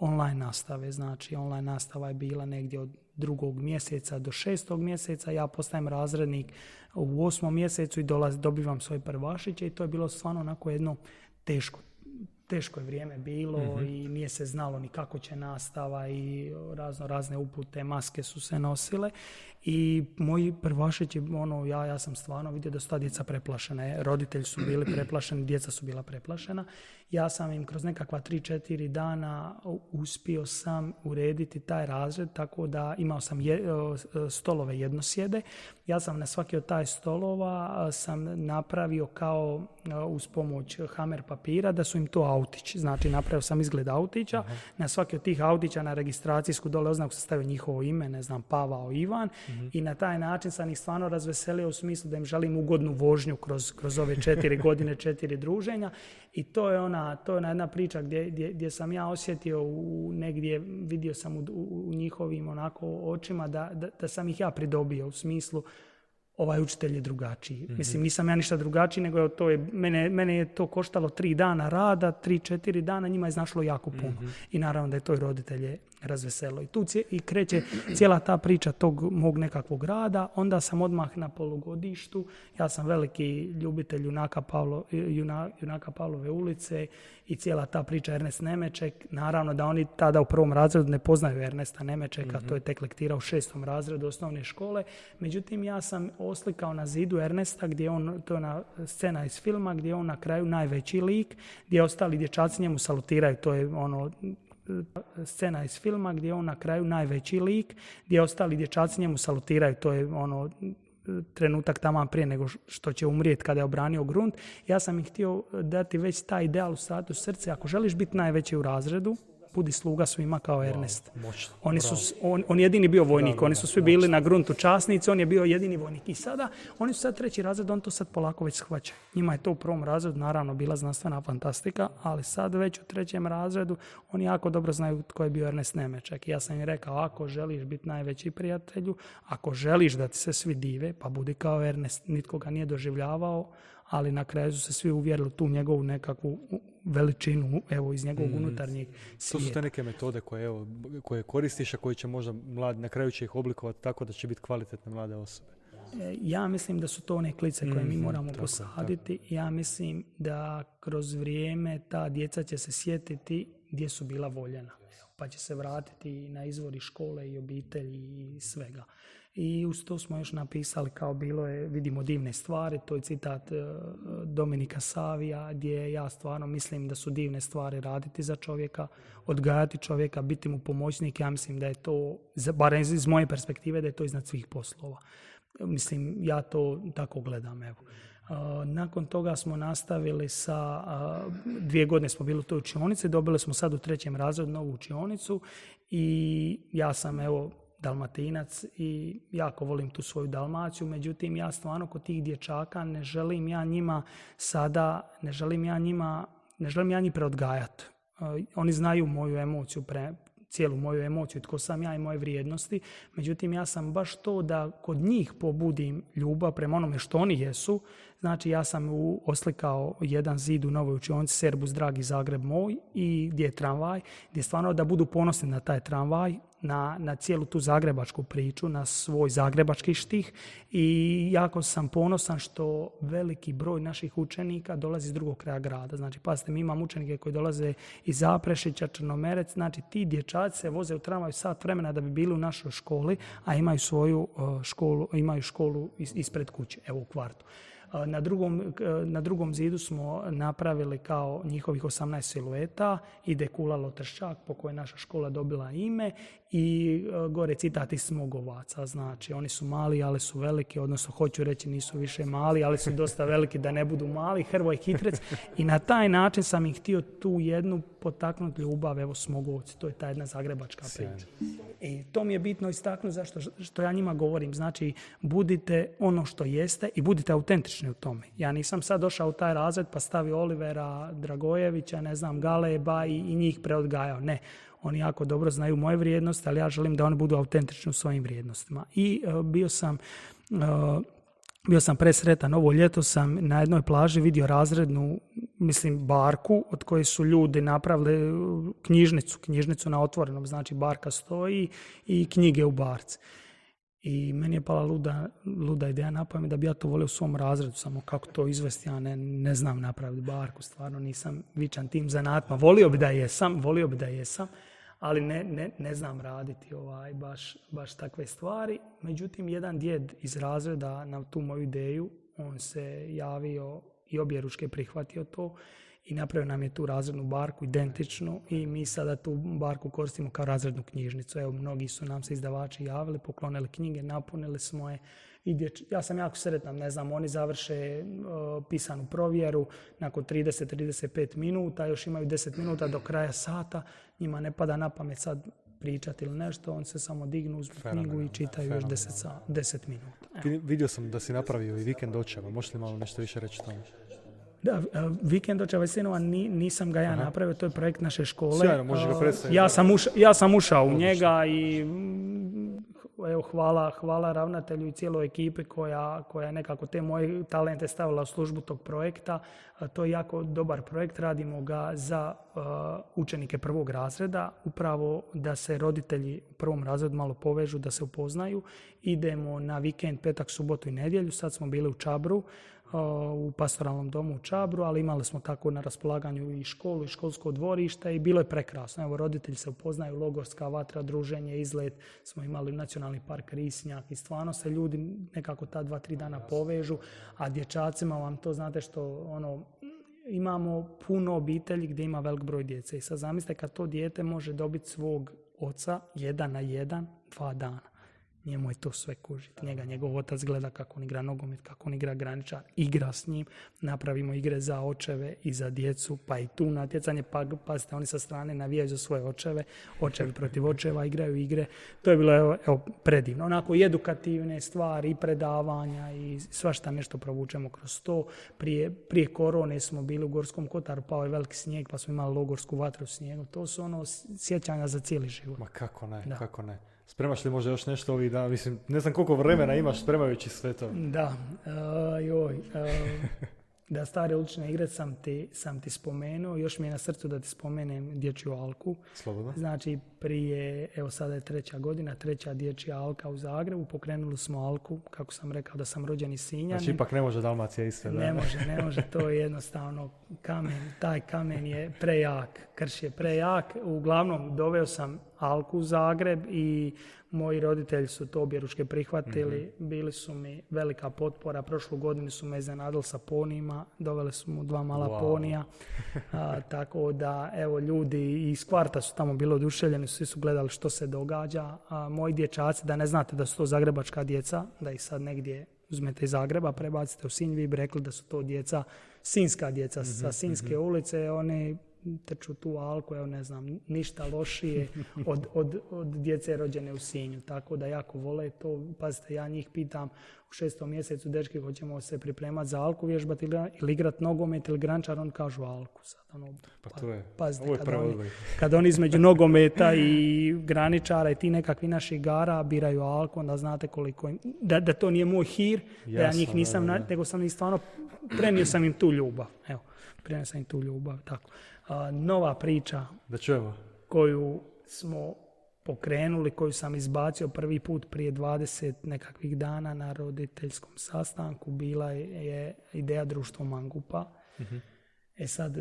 online nastave. Znači, online nastava je bila negdje od 2. mjeseca do 6. mjeseca, ja postajem razrednik u 8. mjesecu i dobivam svoje prvašiće i to je bilo stvarno onako jedno teško je vrijeme bilo i nije se znalo ni kako će nastava i razne upute, maske su se nosile i moji prvašići, ja sam stvarno vidio da su ta djeca preplašena. Roditelji su bili preplašeni, djeca su bila preplašena. Ja sam im kroz nekakva 3-4 dana uspio sam urediti taj razred tako da imao sam stolove jednosjede. Ja sam na svaki od taj stolova sam napravio kao uz pomoć hamer papira da su im to autići. Znači napravio sam izgled autića. Na svaki od tih autića na registracijsku dole oznaku sam stavio njihovo ime, ne znam, Pavao, Ivan. I na taj način sam ih stvarno razveselio u smislu da im želim ugodnu vožnju kroz ove 4 godine, 4 druženja. I to je ona jedna priča gdje sam ja osjetio negdje, vidio sam u njihovim onako očima da sam ih ja pridobio u smislu ovaj učitelj je drugačiji. Mislim, nisam ja ništa drugačiji, nego mene je to koštalo 3 dana rada, 3-4 dana, njima je znašlo jako puno. I naravno da je to i roditelje razveselo. I tu i kreće cijela ta priča tog mog nekakvog rada. Onda sam odmah na polugodištu. Ja sam veliki ljubitelj junaka Pavlove ulice i cijela ta priča Ernest Nemeček. Naravno da oni tada u 1. razredu ne poznaju Ernesta Nemečeka, to je tek lektira u 6. razredu osnovne škole. Međutim, ja sam oslikao na zidu Ernesta, to je ona scena iz filma gdje je on na kraju najveći lik, gdje ostali dječaci njemu salutiraju, to je scena iz filma gdje je on na kraju najveći lik, gdje ostali dječaci njemu salutiraju, to je trenutak taman prije nego što će umrijeti kada je obranio grunt. Ja sam ih htio dati već taj ideal u startu srce, ako želiš biti najveći u razredu, budi sluga svima kao Ernest. On je jedini bio vojnik, oni su svi bili na gruntu časnici, on je bio jedini vojnik. I sada, oni su sad 3. razred, on to sad polako već shvaća. Njima je to u 1. razredu naravno bila znanstvena fantastika, ali sad već u 3. razredu oni jako dobro znaju tko je bio Ernest Nemeček. I ja sam im rekao, ako želiš biti najveći prijatelju, ako želiš da ti se svi dive, pa budi kao Ernest, nitko ga nije doživljavao, ali na kraju su se svi uvjerili tu njegovu nekakvu veličinu, evo, iz njegovog unutarnjeg svijeta. To su te neke metode koje koristiš, a koje će možda na kraju će ih oblikovati tako da će biti kvalitetne mlade osobe. Ja mislim da su to one klice koje mi moramo posaditi. Ja mislim da kroz vrijeme ta djeca će se sjetiti gdje su bila voljena. Pa će se vratiti na izvori škole i obitelji i svega. I uz to smo još napisali kao bilo je vidimo divne stvari, to je citat Dominika Savija gdje ja stvarno mislim da su divne stvari raditi za čovjeka, odgajati čovjeka, biti mu pomoćnik. Ja mislim da je to, barem iz moje perspektive, da je to iznad svih poslova. Mislim, ja to tako gledam, evo. Nakon toga smo nastavili sa 2 godine smo bili u toj učionici, dobili smo sad u 3. razredu novu učionicu i ja sam Dalmatinac i jako volim tu svoju Dalmaciju, međutim ja stvarno kod tih dječaka ne želim ja njih preodgajati. Oni znaju moju emociju, cijelu moju emociju, tko sam ja i moje vrijednosti. Međutim, ja sam baš to da kod njih pobudim ljubav prema onome što oni jesu. Znači, ja sam oslikao jedan zid u novoj učionici Serbus dragi Zagreb moj i gdje je tramvaj, gdje stvarno da budu ponosni na taj tramvaj, na cijelu tu zagrebačku priču, na svoj zagrebački štih i jako sam ponosan što veliki broj naših učenika dolazi iz drugog kraja grada. Znači, pazite, mi imamo učenike koji dolaze iz Zaprešića, Črnomerec, znači ti dječaci se voze u tramvaju sat vremena da bi bili u našoj školi, a imaju svoju školu, imaju školu ispred kuće, evo u kvartu. Na drugom zidu smo napravili kao njihovih 18 silueta, ide kula Lotrščak po kojoj je naša škola dobila ime i gore citat iz Smogovaca. Znači, oni su mali, ali su veliki, odnosno hoću reći nisu više mali, ali su dosta veliki da ne budu mali, Hrvoj Hitrec. I na taj način sam ih htio tu jednu potaknuti ljubav, evo Smogovci, to je ta jedna zagrebačka priča. I to mi je bitno istaknuti zašto što ja njima govorim. Znači, budite ono što jeste i budite autentični u tome. Ja nisam sad došao u taj razred pa stavio Olivera Dragojevića, ne znam, Galeba i njih preodgajao. Ne. Oni jako dobro znaju moje vrijednosti, ali ja želim da oni budu autentični u svojim vrijednostima. I bio sam presretan, ovo ljeto sam na jednoj plaži vidio razrednu, barku od koje su ljudi napravili knjižnicu na otvorenom, znači barka stoji i knjige u barci. I meni je pala luda ideja na pamet da bi ja to volio u svom razredu, samo kako to izvesti, ja ne znam napraviti barku, stvarno nisam vičan tim zanatima. Volio bi da jesam, ali ne znam raditi baš takve stvari. Međutim, jedan djed iz razreda na tu moju ideju, on se javio i objeručke prihvatio to i napravio nam je tu razrednu barku identičnu i mi sada tu barku koristimo kao razrednu knjižnicu. Evo, mnogi su nam se izdavači javili, poklonili knjige, napunili smo je. Ja sam jako sretan, ne znam, oni završe pisanu provjeru nakon 30-35 minuta, još imaju 10 minuta do kraja sata, njima ne pada na pamet sad pričati ili nešto, on se samo dignu uz knjigu i čitaju još 10 minuta. Vidio sam da si napravio i vikend očeva, možeš li malo nešto više reći o tome? Da, vikend očeva i sinova nisam ga ja napravio, to je projekt naše škole. Sjajno, možeš ga predstaviti. Ja sam ušao u njega i evo, hvala ravnatelju i cijeloj ekipi koja nekako te moje talente stavila u službu tog projekta. To je jako dobar projekt, radimo ga za učenike prvog razreda, upravo da se roditelji u prvom razredu malo povežu, da se upoznaju. Idemo na vikend, petak, subotu i nedjelju, sad smo bili u Čabru, u pastoralnom domu u Čabru, ali imali smo tako na raspolaganju i školu i školsko dvorište i bilo je prekrasno. Evo, roditelji se upoznaju, logorska vatra, druženje, izlet, smo imali nacionalni park Risnjak i stvarno se ljudi nekako ta 2-3 dana povežu, a dječacima vam to znate što imamo puno obitelji gdje ima velik broj djece i sad zamislite kad to dijete može dobiti svog oca 1 na 1, 2 dana. Njemu je to sve kužiti. Njegov otac gleda kako on igra nogomet, kako on igra graničar, igra s njim, napravimo igre za očeve i za djecu, pa i tu natjecanje, pa pazite, oni sa strane navijaju za svoje očeve, očevi protiv očeva igraju igre. To je bilo evo, predivno. Onako i edukativne stvari, i predavanja i svašta nešto provučemo kroz to. Prije korone smo bili u Gorskom Kotaru, pao je veliki snijeg, pa smo imali logorsku vatru u snijegu. To su sjećanja za cijeli život. Ma kako ne. Spremaš li možda još nešto ovih dana? Ne znam koliko vremena imaš spremajući sve to. Da, da, stare ulične igre sam ti spomenuo. Još mi je na srcu da ti spomenem dječju alku. Slobodno. Znači, evo sada je 3. godina, 3. dječja alka u Zagrebu. Pokrenuli smo alku, kako sam rekao da sam rođeni Sinjanin. Znači, ipak ne može Dalmacija isto, da? Ne može, to je jednostavno kamen. Taj kamen je prejak, krš je prejak. Uglavnom, doveo sam alku u Zagreb i moji roditelji su to objeručke prihvatili. Bili su mi velika potpora. Prošlu godinu su me iznenadili sa ponijima. Doveli su mu 2 mala ponija. Tako da, evo, ljudi iz kvarta su tamo bili oduševljeni. Svi su gledali što se događa. Moji dječaci, da ne znate da su to zagrebačka djeca, da ih sad negdje uzmete iz Zagreba, prebacite u Sinj, vi bi rekli da su to djeca, sinjska djeca sa Sinjske ulice. Oni trču tu alku, evo ne znam, ništa lošije od djece rođene u Sinju. Tako da jako vole to. Pazite, ja njih pitam u 6. mjesecu, dečki, hoćemo se pripremati za alku, vježbati ili igrati nogomet ili grančar, oni kažu alku. Sad, pa to je, pazite, ovo je kad oni između nogometa i graničara i ti nekakvi naših igara biraju alku, onda znate koliko im, da to nije moj hir, da ja njih nisam, nego sam ih stvarno, prenio sam im tu ljubav. Evo, prenio sam im tu ljubav, tako. Nova priča koju smo pokrenuli, koju sam izbacio prvi put prije 20 nekakvih dana na roditeljskom sastanku, bila je ideja Društvo Mangupa. Sad,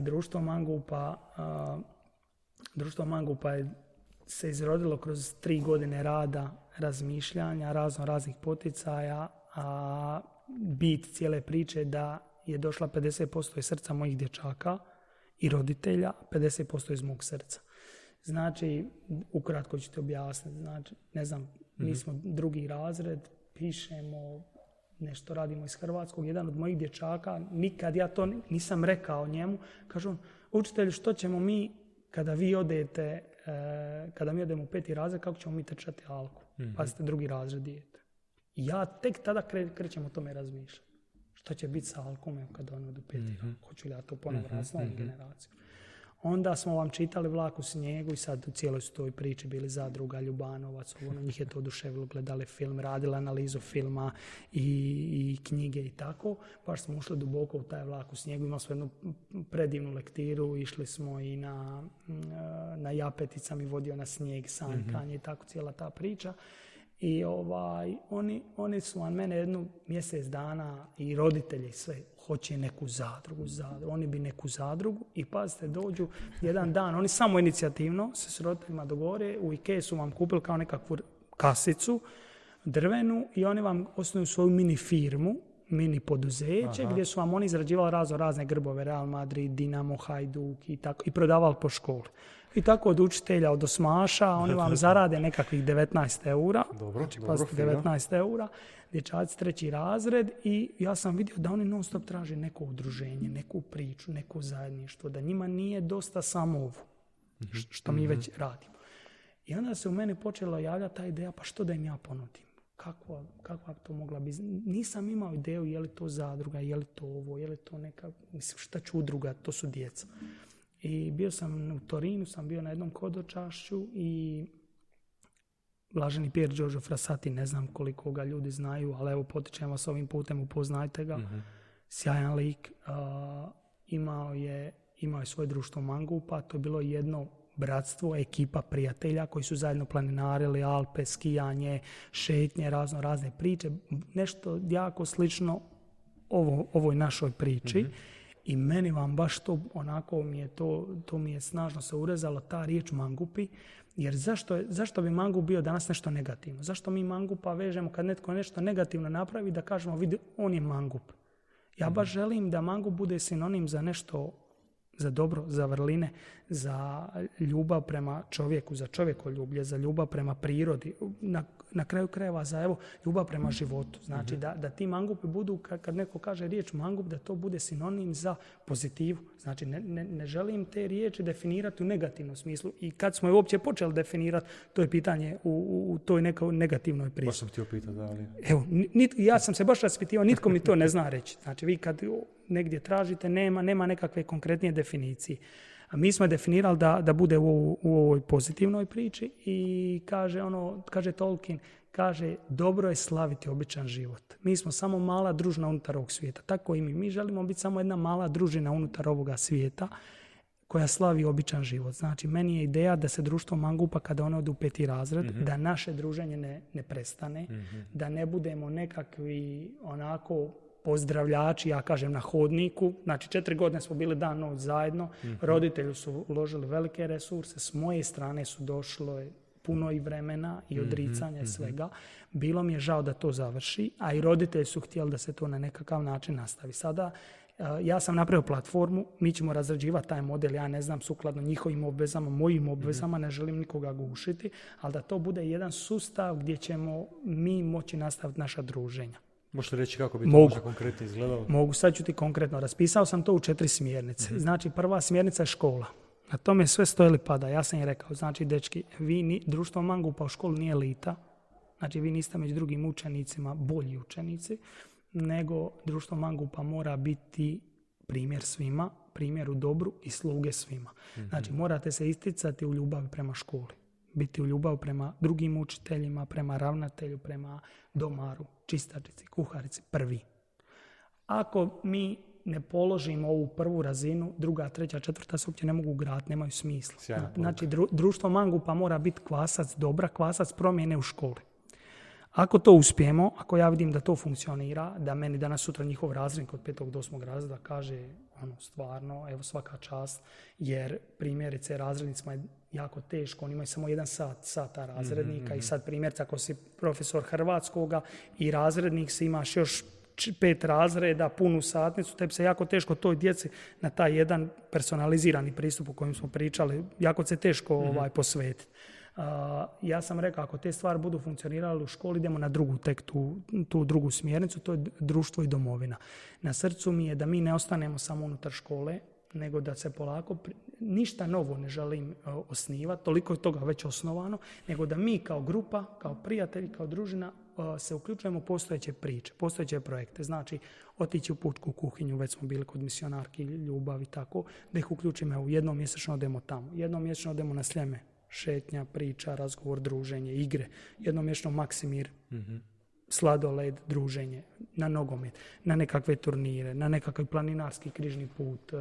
Društvo Mangupa je se izrodilo kroz 3 godine rada, razmišljanja, raznih poticaja, a bit cijele priče da je došla 50% iz srca mojih dječaka i roditelja, 50% iz mog srca. Znači, ukratko ću ti objasniti. Znači, ne znam, mi smo 2. razred, pišemo, nešto radimo iz hrvatskog. Jedan od mojih dječaka, nikad ja to nisam rekao njemu, kažu on, učitelju, što ćemo mi kada vi odete kada mi odemo u 5. razred, kako ćemo mi trčati alku. Pazite, 2. razred dijete. I ja tek tada krećem o tome razmišljati. Što će biti sa alkom kad on od u 5. razred? Hoću li ja to ponovno raditi s novom generacijom? Onda smo vam čitali Vlak u snijegu i sad u cijeloj su toj priči bili Zadruga, Ljubanovac, njih je to oduševilo, gledali film, radili analizu filma i knjige i tako. Baš smo ušli duboko u taj Vlak u snijegu, imali smo jednu predivnu lektiru, išli smo i na Japetica mi vodio na snijeg, sanjkanje i tako cijela ta priča. I oni su van mene jednu mjesec dana i roditelji sve hoće neku zadrugu. Oni bi neku zadrugu i pazite, dođu jedan dan, oni samo inicijativno se s roditeljima dogovore, u IKEA su vam kupili kao nekakvu kasicu drvenu i oni vam osnuju svoju mini firmu, mini poduzeće gdje su vam oni izrađivali razne grbove, Real Madrid, Dinamo, Hajduk i tako i prodavali po školi. I tako od učitelja, od osmaša, oni vam zarade nekakvih 19 eura. Dobro, 19 eura, dječaci 3. razred i ja sam vidio da oni non stop traže neko udruženje, neku priču, neko zajedništvo, da njima nije dosta samo ovo, što mi već radimo. I onda se u meni počela javljati ta ideja, pa što da im ja ponudim? Kakva to mogla biti? Nisam imao ideju je li to zadruga, je li to ovo, je li to neka, mislim šta ću udruga, to su djeca. I bio sam u Torinu, sam bio na jednom kodočašću i blaženi Pier Giorgio Frassati, ne znam koliko ga ljudi znaju, ali evo potičem vas ovim putem, upoznajte ga. Sjajan lik, imao je svoje društvo mangupa, to je bilo jedno bratstvo, ekipa prijatelja koji su zajedno planinarili Alpe, skijanje, šetnje, razne priče, nešto jako slično ovoj našoj priči. I meni vam baš to, onako mi je to mi je snažno se urezalo, ta riječ mangupi, jer zašto bi mangup bio danas nešto negativno? Zašto mi mangupa vežemo kad netko nešto negativno napravi da kažemo vidi on je mangup? Ja baš želim da mangup bude sinonim za nešto, za dobro, za vrline, za ljubav prema čovjeku, za čovjekoljublje, za ljubav prema prirodi, na kraju krajeva za ljubav prema životu. Znači da ti mangupi budu, kad neko kaže riječ mangup, da to bude sinonim za pozitivu. Znači ne želim te riječi definirati u negativnom smislu. I kad smo je uopće počeli definirati, to je pitanje u toj nekoj negativnoj priči. Baš sam htio pitati, da li... Evo, ja sam se baš raspitivao, nitko mi to ne zna reći. Znači vi kad negdje tražite, nema nekakve konkretnije definicije. A mi smo definirali da bude u ovoj pozitivnoj priči i kaže Tolkien, dobro je slaviti običan život. Mi smo samo mala družina unutar ovog svijeta. Tako i mi. Mi želimo biti samo jedna mala družina unutar ovoga svijeta koja slavi običan život. Znači, meni je ideja da se društvo mangupa kada ono ode u 5. razred, da naše druženje ne prestane, da ne budemo nekakvi onako pozdravljači, ja kažem, na hodniku. Znači, 4 godine smo bili dan noć zajedno. Roditelji su uložili velike resurse. S moje strane su došlo puno i vremena i odricanja i svega. Bilo mi je žao da to završi, a i roditelji su htjeli da se to na nekakav način nastavi. Sada ja sam napravio platformu, mi ćemo razrađivati taj model, ja ne znam, sukladno njihovim obvezama, mojim obvezama, ne želim nikoga gušiti, ali da to bude jedan sustav gdje ćemo mi moći nastaviti naša druženja. Možete reći kako bi to možda konkretno izgledalo? Mogu, sad ću ti konkretno. Raspisao sam to u 4 smjernice. Znači, prva smjernica je škola. Na tome sve stoji ili pada. Ja sam je rekao, znači, dečki, društvo mangupa u školu nije elita. Znači, vi niste među drugim učenicima bolji učenici, nego društvo mangupa mora biti primjer svima, primjer u dobru i sluge svima. Znači, morate se isticati u ljubavi prema školi. Biti u ljubav prema drugim učiteljima, prema ravnatelju, prema domaru, čistačici, kuharici, prvi. Ako mi ne položimo ovu prvu razinu, 2., 3., 4. se uopće ne mogu graditi, nemaju smisla. Znači, društvo mangupa mora biti kvasac dobra, kvasac promjene u školi. Ako to uspijemo, ako ja vidim da to funkcionira, da meni danas sutra njihov razrednik od 5. do 8. razreda kaže stvarno, evo svaka čast, jer primjerice razrednicima je jako teško, oni imaju samo 1 sata razrednika i sad primjerice ako si profesor hrvatskoga i razrednik si imaš još 5 razreda, punu satnicu, tebi se jako teško toj djeci na taj jedan personalizirani pristup o kojem smo pričali, jako se teško posvetiti. Ja sam rekao, ako te stvari budu funkcionirale u školi, idemo na drugu, tek tu drugu smjernicu, to je društvo i domovina. Na srcu mi je da mi ne ostanemo samo unutar škole, nego da se polako, ništa novo ne želim osnivati, toliko je toga već osnovano, nego da mi kao grupa, kao prijatelji, kao družina se uključujemo u postojeće priče, postojeće projekte. Znači, otići u pučku kuhinju, već smo bili kod misionarki Ljubav i tako, da ih uključimo u jednom mjesečno odemo tamo, jednom mjesečno odemo na Sljeme, šetnja, priča, razgovor, druženje, igre, jednom mjesečno Maksimir, sladoled, druženje, na nogomet, na nekakve turnire, na nekakav planinarski križni put.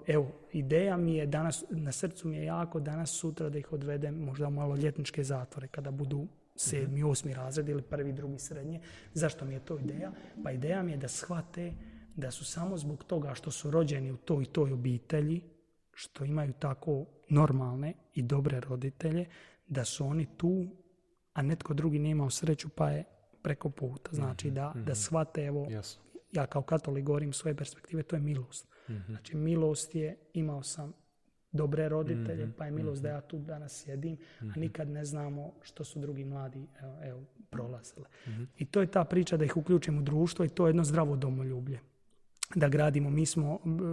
Evo, ideja mi je danas, na srcu mi je jako danas, sutra da ih odvedem možda u maloljetničke zatvore, kada budu 7. 8. razred ili 1. 2. srednje. Zašto mi je to ideja? Pa ideja mi je da shvate da su samo zbog toga što su rođeni u toj i toj obitelji, što imaju tako normalne i dobre roditelje, da su oni tu, a netko drugi nije imao sreću pa je preko puta. Znači da shvate, evo, ja kao katolik govorim svoje perspektive, to je milost. Znači milost je, imao sam dobre roditelje, pa je milost da ja tu danas sjedim, a nikad ne znamo što su drugi mladi prolazili. I to je ta priča da ih uključimo u društvo i to je jedno zdravo domoljublje. Da gradimo.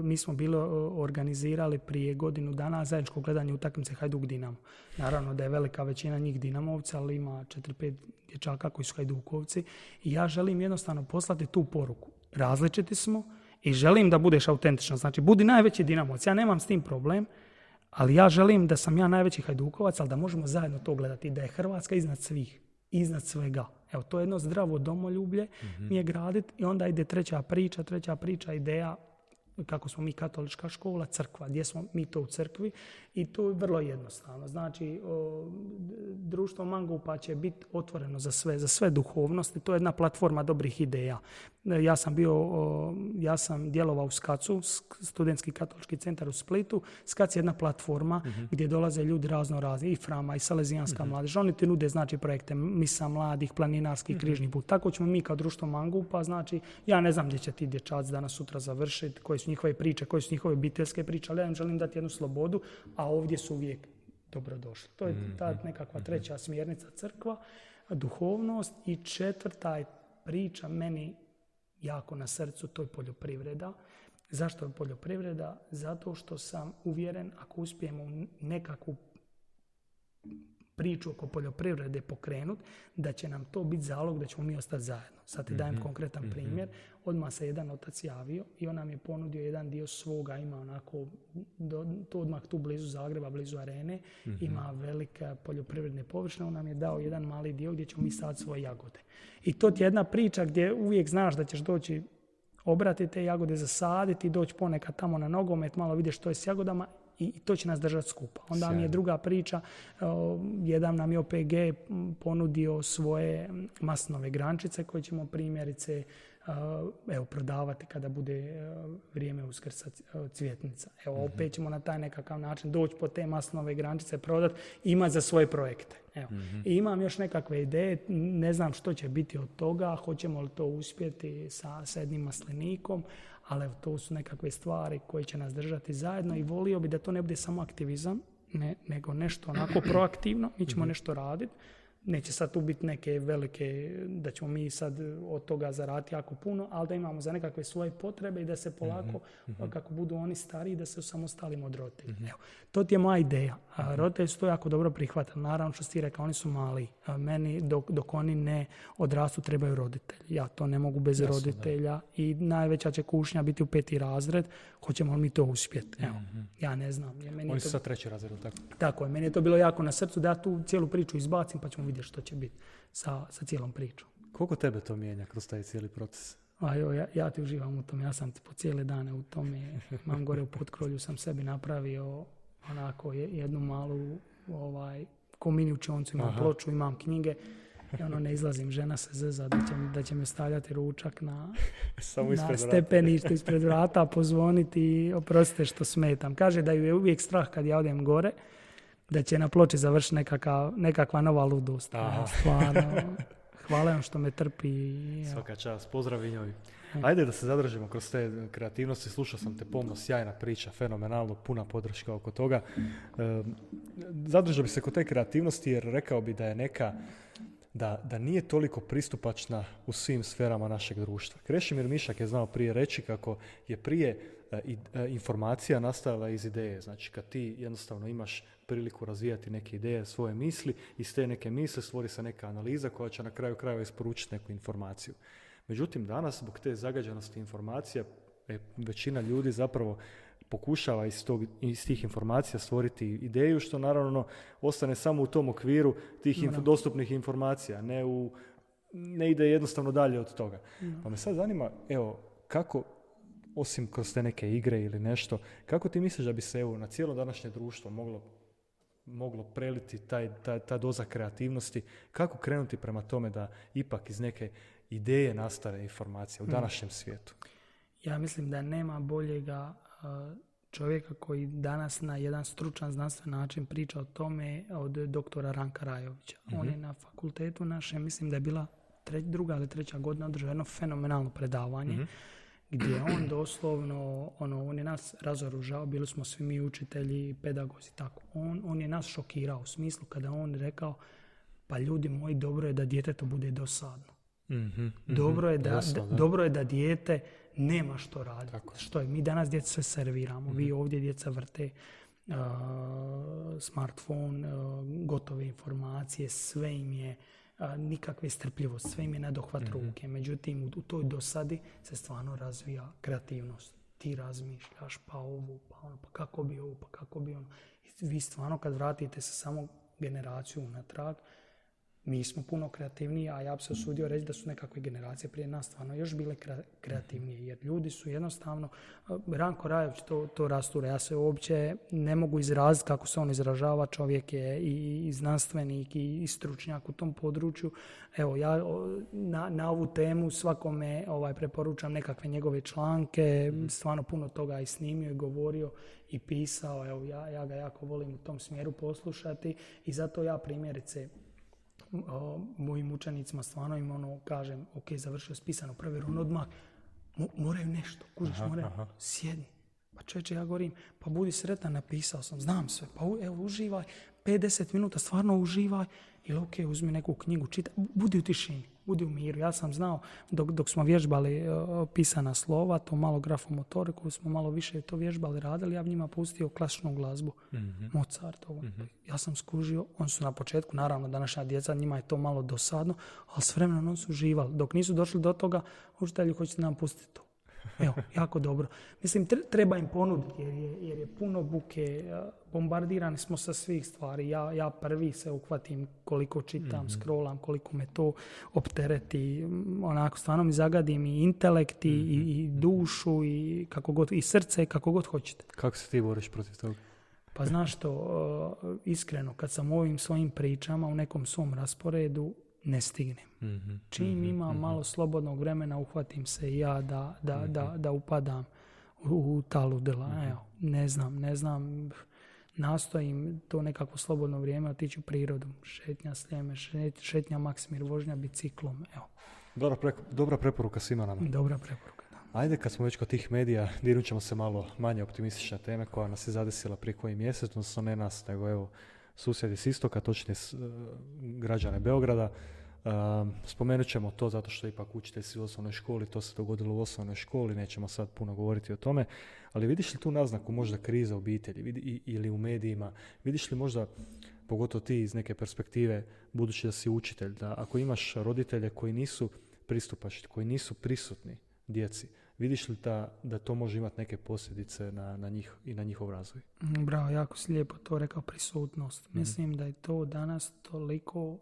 Mi smo bili organizirali prije godinu dana zajedničko gledanje utakmice Hajduk-Dinamo. Naravno da je velika većina njih Dinamovca, ali ima 4-5 dječaka koji su Hajdukovci. I ja želim jednostavno poslati tu poruku. Različiti smo i želim da budeš autentičan. Znači, budi najveći Dinamovac. Ja nemam s tim problem, ali ja želim da sam ja najveći Hajdukovac, ali da možemo zajedno to gledati. Da je Hrvatska iznad svih, iznad svega. Evo, to je jedno zdravo domoljublje mi je graditi i onda ide treća priča, ideja kako smo mi katolička škola, crkva, gdje smo mi to u crkvi i to je vrlo jednostavno. Znači, društvo Mangupa će biti otvoreno za sve duhovnosti, to je jedna platforma dobrih ideja. Ja sam djelovao u SKAC-u, Studentski katolički centar u Splitu. SKAC je jedna platforma gdje dolaze ljudi razno razni, i Frama, i Salezijanska mladež. Oni ti nude, znači, projekte misa mladih, planinarski, križni put. Tako ćemo mi kao društvo Mangupa, znači, ja ne znam gdje će ti dječaci danas sutra završiti, koje su njihove priče, koje su njihove obiteljske priče, ali ja im želim dati jednu slobodu, a ovdje su uvijek dobrodošli. To je ta nekakva treća smjernica crkva, duhovnost, i četvrta je priča meni jako na srcu, to je poljoprivreda. Zašto je poljoprivreda? Zato što sam uvjeren, ako uspijemo nekakvu priču oko poljoprivrede pokrenuti, da će nam to biti zalog da ćemo mi ostati zajedno. Sad ti dajem konkretan primjer. Odmah se jedan otac javio i on nam je ponudio jedan dio svoga, ima onako, to odmah tu blizu Zagreba, blizu arene, ima velike poljoprivredne površine, on nam je dao jedan mali dio gdje ćemo mi saditi svoje jagode. I to ti je jedna priča gdje uvijek znaš da ćeš doći obrati te jagode, zasaditi, doći ponekad tamo na nogomet, malo vidiš što je s jagodama, i to će nas držati skupa. Onda mi je druga priča, jedan nam je OPG ponudio svoje maslinove grančice koje ćemo primjerice prodavati kada bude vrijeme Uskrsa cvjetnica. Evo, opet ćemo na taj nekakav način doći po te maslinove grančice, prodati i imati za svoje projekte. Evo. I imam još nekakve ideje, ne znam što će biti od toga, hoćemo li to uspjeti sa jednim maslinikom, ali evo, to su nekakve stvari koje će nas držati zajedno i volio bi da to ne bude samo aktivizam, nego nešto onako proaktivno, mi ćemo nešto raditi. Neće sad tu biti neke velike, da ćemo mi sad od toga zaraditi jako puno, ali da imamo za nekakve svoje potrebe i da se polako, kako budu oni stariji, da se osamostalimo od roditelja. Evo, to ti je moja ideja. Roditelji su to jako dobro prihvatili. Naravno, što si ti rekao, oni su mali. Meni, dok oni ne odrastu, trebaju roditelji. Ja to ne mogu bez roditelja. I najveća će kušnja biti u 5. razred. Hoćemo li mi to uspjeti? Evo, ja ne znam. Oni su sad 3. razred, tako? Tako je. Meni je to bilo jako na srcu da ja tu cijelu priču izbacim, pa ćemo vidjeti što će biti sa cijelom pričom. Koliko tebe to mijenja kroz taj cijeli proces? Ja ti uživam u tome. Ja sam po cijele dane u tome. Mam gore u Potkrolju sam sebi napravio onako jednu malu ko mini učioncu, imam ploču, imam knjige i ne izlazim, žena se zeza da će me stavljati ručak na stepeništu ispred vrata, pozvoniti i oprostite što smetam. Kaže da ju je uvijek strah kad ja odem gore, da će na ploči završiti nekakva nova ludost. Stvarno, hvala vam što me trpi. Svaka čast, pozdrav njoj. Ajde da se zadržimo kroz te kreativnosti. Slušao sam te pomno, sjajna priča, fenomenalno, puna podrška oko toga. Zadržao bi se kod te kreativnosti jer rekao bi da je neka da nije toliko pristupačna u svim sferama našeg društva. Krešimir Mišak je znao prije reći kako je prije informacija nastajala iz ideje. Znači, kad ti jednostavno imaš priliku razvijati neke ideje, svoje misli, iz te neke misli stvori se neka analiza koja će na kraju krajeva isporučiti neku informaciju. Međutim, danas, zbog te zagađenosti informacija, većina ljudi zapravo pokušava iz tih informacija stvoriti ideju, što naravno ostane samo u tom okviru tih dostupnih informacija, ne ide jednostavno dalje od toga. Pa me sad zanima, evo, kako, osim kroz te neke igre ili nešto, kako ti misliš da bi se na cijelo današnje društvo moglo preliti ta doza kreativnosti, kako krenuti prema tome da ipak iz neke ideje nastane informacija u današnjem svijetu? Ja mislim da nema boljega čovjeka koji danas na jedan stručan znanstven način priča o tome od doktora Ranka Rajovića. On je na fakultetu našem, mislim da je bila druga ili treća godina, održao jedno fenomenalno predavanje gdje on doslovno, on je nas razoružao, bili smo svi mi učitelji, pedagozi, tako. On je nas šokirao u smislu kada on rekao, pa ljudi moji, dobro je da djetetu bude dosadno. Dobro je da dijete nema što raditi. Što je? Mi danas djeca sve serviramo. Vi ovdje djeca vrte smartphone, gotove informacije, sve im je nikakve strpljivost, sve im je na dohvat ruke. Međutim, u toj dosadi se stvarno razvija kreativnost. Ti razmišljaš, pa ovo, pa ono, pa kako bi ovo, pa kako bi ono. I vi stvarno kad vratite se samo generaciju unatrag, mi smo puno kreativniji, a ja bi se usudio reći da su nekakve generacije prije nas stvarno još bile kreativnije, jer ljudi su jednostavno, Ranko Rajović to rasture, ja se uopće ne mogu izraziti kako se on izražava, čovjek je i znanstvenik i stručnjak u tom području. Evo, ja na ovu temu svakome preporučam nekakve njegove članke, stvarno puno toga i snimio i govorio i pisao, evo, ja ga jako volim u tom smjeru poslušati i zato ja primjerice mojim učenicima stvarno kažem, ok, završio spisano provjeru, odmah moraju nešto, kužiš, moraju, sjedni. Pa čovječe, ja govorim, pa budi sretan, napisao sam, znam sve, pa evo, uživaj, 50 minuta, stvarno uživaj, ili ok, uzmi neku knjigu, čitaj, budi u tišini, budi u miru. Ja sam znao, dok smo vježbali pisana slova, to malo grafomotoriku, smo malo više to vježbali, radili, ja bi njima pustio klasičnu glazbu, Mozartovu. Ja sam skužio, oni su na početku, naravno, današnja djeca, njima je to malo dosadno, ali s vremenom oni su uživali. Dok nisu došli do toga, učitelji, hoćete nam pustiti to. Evo, jako dobro. Mislim, treba im ponuditi jer je puno buke, bombardirani smo sa svih stvari. Ja prvi se uhvatim koliko čitam, scrollam, koliko me to optereti. Onako, stvarno mi zagadim i intelekt i dušu i kako god, i srce, kako god hoćete. Kako se ti boriš protiv toga? Pa znaš što, iskreno, kad sam u ovim svojim pričama u nekom svom rasporedu, ne stignem. Čim imam malo slobodnog vremena, uhvatim se i ja da upadam u ta ludila. Evo, ne znam, nastojim to nekako slobodno vrijeme otići u prirodu. Šetnja Sljeme, šetnja Maksimir, vožnja biciklom. Evo. Dobra preporuka svima nama. Dobra preporuka, da. Ajde, kad smo već kod tih medija, dirnut ćemo se malo manje optimistične teme koja nas je zadesila prije koji mjesec, odnosno ne nas, nego evo susjedi s istoka, točnije građane Beograda. Spomenut ćemo to zato što ipak učitelj si u osnovnoj školi, to se dogodilo u osnovnoj školi, nećemo sad puno govoriti o tome, ali vidiš li tu naznaku možda kriza obitelji ili u medijima, vidiš li možda, pogotovo ti iz neke perspektive, budući da si učitelj, da ako imaš roditelje koji nisu pristupačni, koji nisu prisutni djeci, vidiš li da to može imati neke posljedice na njih i na njihov razvoj? Bravo, jako si lijepo to rekao, prisutnost. Mislim da je to danas toliko,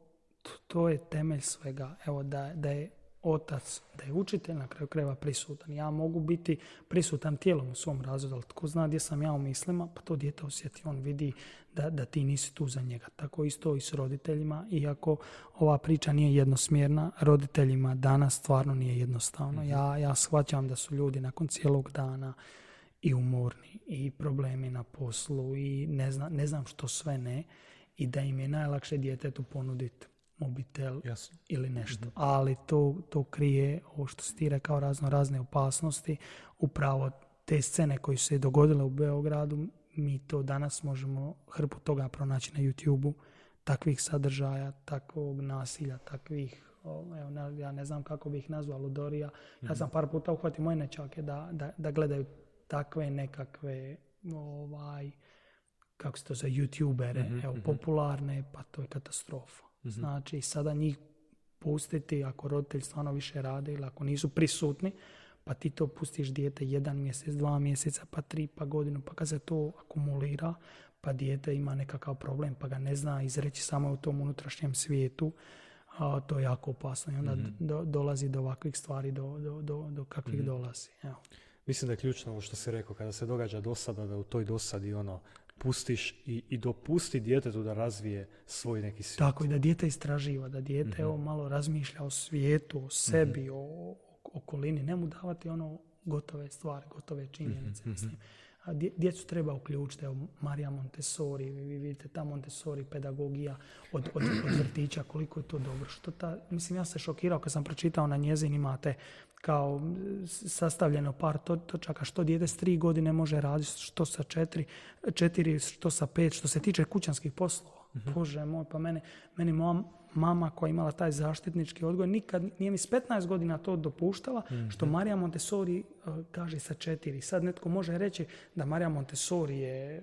to je temelj svega. Evo, da je otac, da je učitelj na kraju krajeva prisutan. Ja mogu biti prisutan tijelom u svom razredu, ali tko zna gdje sam ja u mislima, pa to dijete osjeti, on vidi da ti nisi tu za njega. Tako isto i s roditeljima, iako ova priča nije jednosmjerna, roditeljima danas stvarno nije jednostavno. Ja shvaćam da su ljudi nakon cijelog dana i umorni, i problemi na poslu, i ne znam što sve ne, i da im je najlakše djetetu ponuditi mobitel ili nešto. Ali to krije, ovo što si ti rekao, razne opasnosti. Upravo te scene koje su se dogodile u Beogradu, mi to danas možemo hrpu toga pronaći na YouTube-u. takvih sadržaja, takvog nasilja, takvih, ja ne znam kako bih ih nazvao, ludorija. Ja sam par puta uhvatio moje nečake da gledaju takve nekakve, kako se to za youtubere, popularne, pa to je katastrofa. Znači, sada njih pustiti, ako roditelj stvarno više rade ili ako nisu prisutni, pa ti to pustiš dijete 1 mjesec, 2 mjeseca, pa 3, pa godinu, pa kad se to akumulira, pa dijete ima nekakav problem, pa ga ne zna izreći samo u tom unutrašnjem svijetu, to je jako opasno i onda dolazi do ovakvih stvari, do kakvih dolazi. Evo. Mislim da je ključno ovo što si rekao, kada se događa dosada, da u toj dosadi pustiš i dopusti djetetu da razvije svoj neki svijet. Tako, i da dijete istraživa, da dijete malo razmišlja o svijetu, o sebi, o okolini, ne mu davati gotove stvari, gotove činjenice. Djecu treba uključiti. Evo, Marija Montessori, vi vidite ta Montessori pedagogija od vrtića, koliko je to dobro. Mislim, ja se šokirao kad sam pročitao na njezin, imate kao sastavljeno par točaka što dijete s 3 godine može raditi, što sa 4, što sa 5, što se tiče kućanskih poslova. Bože moj, pa meni moja mama koja je imala taj zaštitnički odgoj nikad nije mi s 15 godina to dopuštala, što Marija Montessori kaže sa 4. Sad netko može reći da Marija Montessori je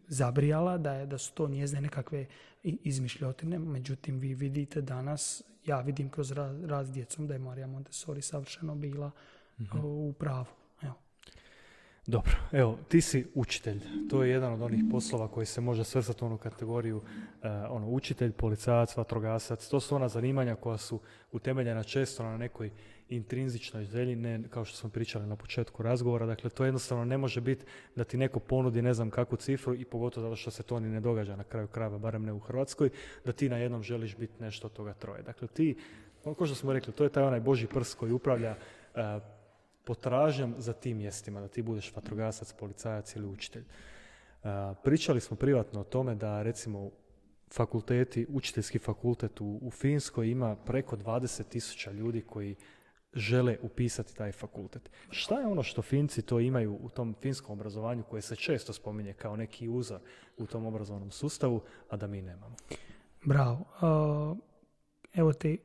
zabrijala, da su to njezine nekakve izmišljotine, međutim vi vidite danas, ja vidim kroz raz s djecom da je Marija Montessori savršeno bila u pravu. Evo. Dobro, evo, ti si učitelj. To je jedan od onih poslova koji se može svrstati u onu kategoriju učitelj, policajac, vatrogasac. To su ona zanimanja koja su utemeljena često na nekoj intrinzičnoj želji, ne kao što smo pričali na početku razgovora. Dakle, to jednostavno ne može biti da ti neko ponudi ne znam kakvu cifru i pogotovo zato što se to ni ne događa na kraju krajeva, barem ne u Hrvatskoj, da ti na jednom želiš biti nešto od toga troje. Dakle, ti, kao što smo rekli, to je taj onaj Božji prst koji upravlja potražnjom za tim mjestima, da ti budeš vatrogasac, policajac ili učitelj. Pričali smo privatno o tome da recimo fakulteti, učiteljski fakultet u Finskoj ima preko 20,000 ljudi koji žele upisati taj fakultet. Šta je ono što Finci to imaju u tom finskom obrazovanju koje se često spominje kao neki uzor u tom obrazovnom sustavu, a da mi nemamo? Bravo. Evo ti,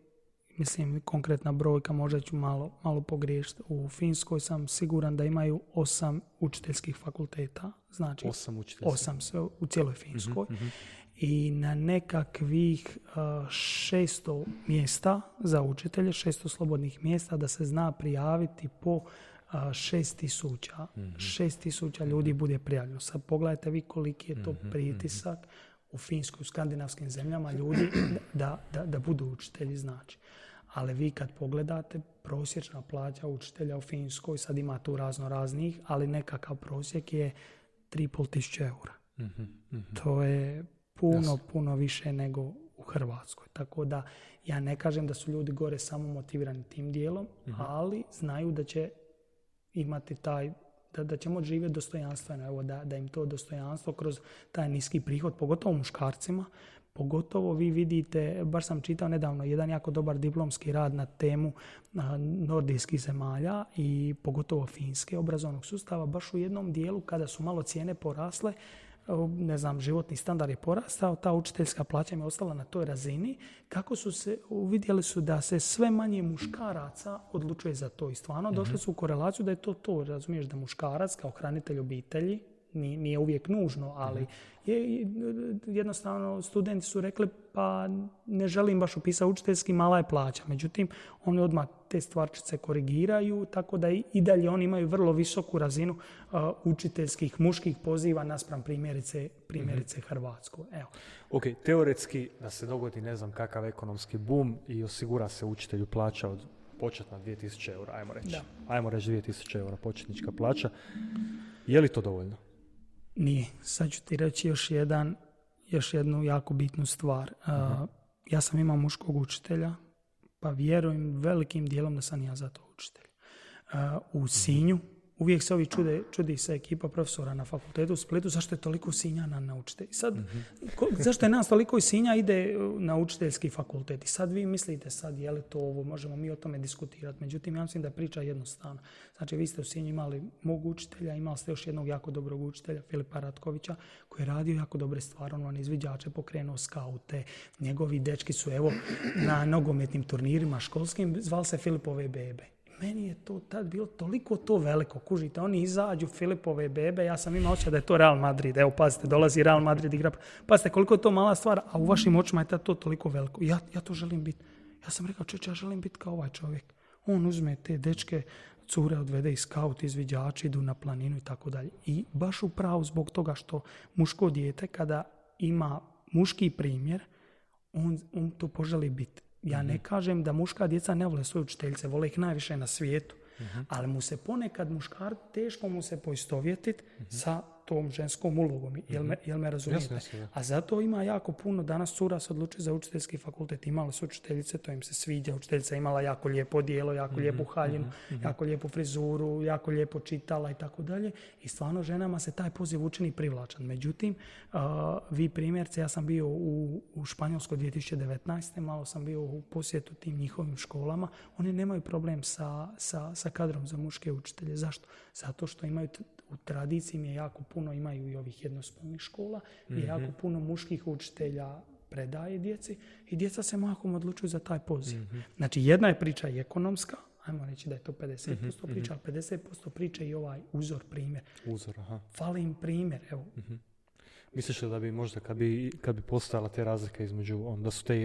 mislim, konkretna brojka, možda ću malo pogriješiti. U Finskoj sam siguran da imaju 8 učiteljskih fakulteta. Znači 8 sve u cijeloj Finskoj. I na nekakvih 600 mjesta za učitelje, 600 slobodnih mjesta da se zna prijaviti po 6,000. 6,000 ljudi bude prijavljeno. Sad pogledajte vi koliki je to pritisak u Finskoj, u skandinavskim zemljama ljudi da budu učitelji, znači. Ali vi kad pogledate, prosječna plaća učitelja u Finskoj, sad ima tu raznih, ali nekakav prosjek je 3.500 eura. To je puno više nego u Hrvatskoj. Tako da ja ne kažem da su ljudi gore samo motivirani tim dijelom, ali znaju da će imati da će moći živjeti dostojanstveno, evo da im to dostojanstvo kroz taj niski prihod, pogotovo muškarcima, pogotovo vi vidite, baš sam čitao nedavno jedan jako dobar diplomski rad na temu nordijskih zemalja i pogotovo Finske obrazovnog sustava, baš u jednom dijelu kada su malo cijene porasle, ne znam, životni standard je porastao, ta učiteljska plaća im je ostala na toj razini, kako uvidjeli su da se sve manje muškaraca odlučuje za to i stvarno došli su u korelaciju da je to, razumiješ, da muškarac kao hranitelj obitelji, nije uvijek nužno, ali jednostavno studenti su rekli pa ne želim baš upisati učiteljski, mala je plaća. Međutim, oni odmah te stvarčice korigiraju, tako da i dalje oni imaju vrlo visoku razinu učiteljskih muških poziva naspram primjerice Hrvatsku. Evo. Ok, teoretski da se dogodi ne znam kakav ekonomski boom i osigura se učitelju plaća od početna 2000 eura, ajmo reći. Ajmo reći 2000 eura početnička plaća. Je li to dovoljno? Nije. Sad ću ti reći još jednu jako bitnu stvar. Ja sam imao muškog učitelja, pa vjerujem velikim dijelom da sam ja za to učitelj. U Sinju uvijek se ovi čudi se ekipa profesora na fakultetu u Splitu, zašto je toliko Sinjana na učitelj. Sad, zašto je nas toliko iz Sinja ide na učiteljski fakultet? I sad vi mislite sad, je li to ovo, možemo mi o tome diskutirati. Međutim, ja mislim da je priča jednostavna. Znači, vi ste u Sinju imali mog učitelja, imali ste još jednog jako dobrog učitelja, Filipa Ratkovića, koji je radio jako dobre stvari, on izviđače, pokrenuo skaute, njegovi dečki su evo na nogometnim turnirima školskim, zvali se Filipove bebe. Meni je to tad bilo toliko to veliko. Kužite, oni izađu Filipove bebe, ja sam imao osjećaj da je to Real Madrid. Evo, pazite, dolazi Real Madrid igra. Pazite, koliko je to mala stvar, a u vašim očima je tad to toliko veliko. Ja to želim biti. Ja sam rekao, ja želim biti kao ovaj čovjek. On uzme te dečke, cure odvede i skaut, izviđači, idu na planinu i tako dalje. I baš upravo zbog toga što muško dijete, kada ima muški primjer, on to poželi biti. Ja ne kažem da muška djeca ne vole svoje učiteljice, vole ih najviše na svijetu, ali mu se ponekad teško mu se poistovjetiti sa tom ženskom ulogom. Jel me razumijete? A zato ima jako puno, danas cura se odlučuje za učiteljski fakultet, imali su učiteljice, to im se sviđa, učiteljica imala jako lijepo odijelo, jako lijepu haljinu, jako lijepu frizuru, jako lijepo čitala i tako dalje. I stvarno ženama se taj poziv učini privlačan. Međutim, vi primjerce, ja sam bio u Španjolskoj 2019. Malo sam bio u posjetu tim njihovim školama. Oni nemaju problem sa kadrom za muške učitelje. Zašto? Zato što imaju u tradiciji je jako puno, imaju i ovih jednospolnih škola, gdje jako puno muških učitelja predaje djeci i djeca se mahom odlučuju za taj poziv. Znači, jedna je priča i ekonomska, ajmo reći da je to 50% priča, ali 50% priče i ovaj uzor, primjer. Fali im primjer, evo. Misliš li da bi možda kad bi postojala te razlike između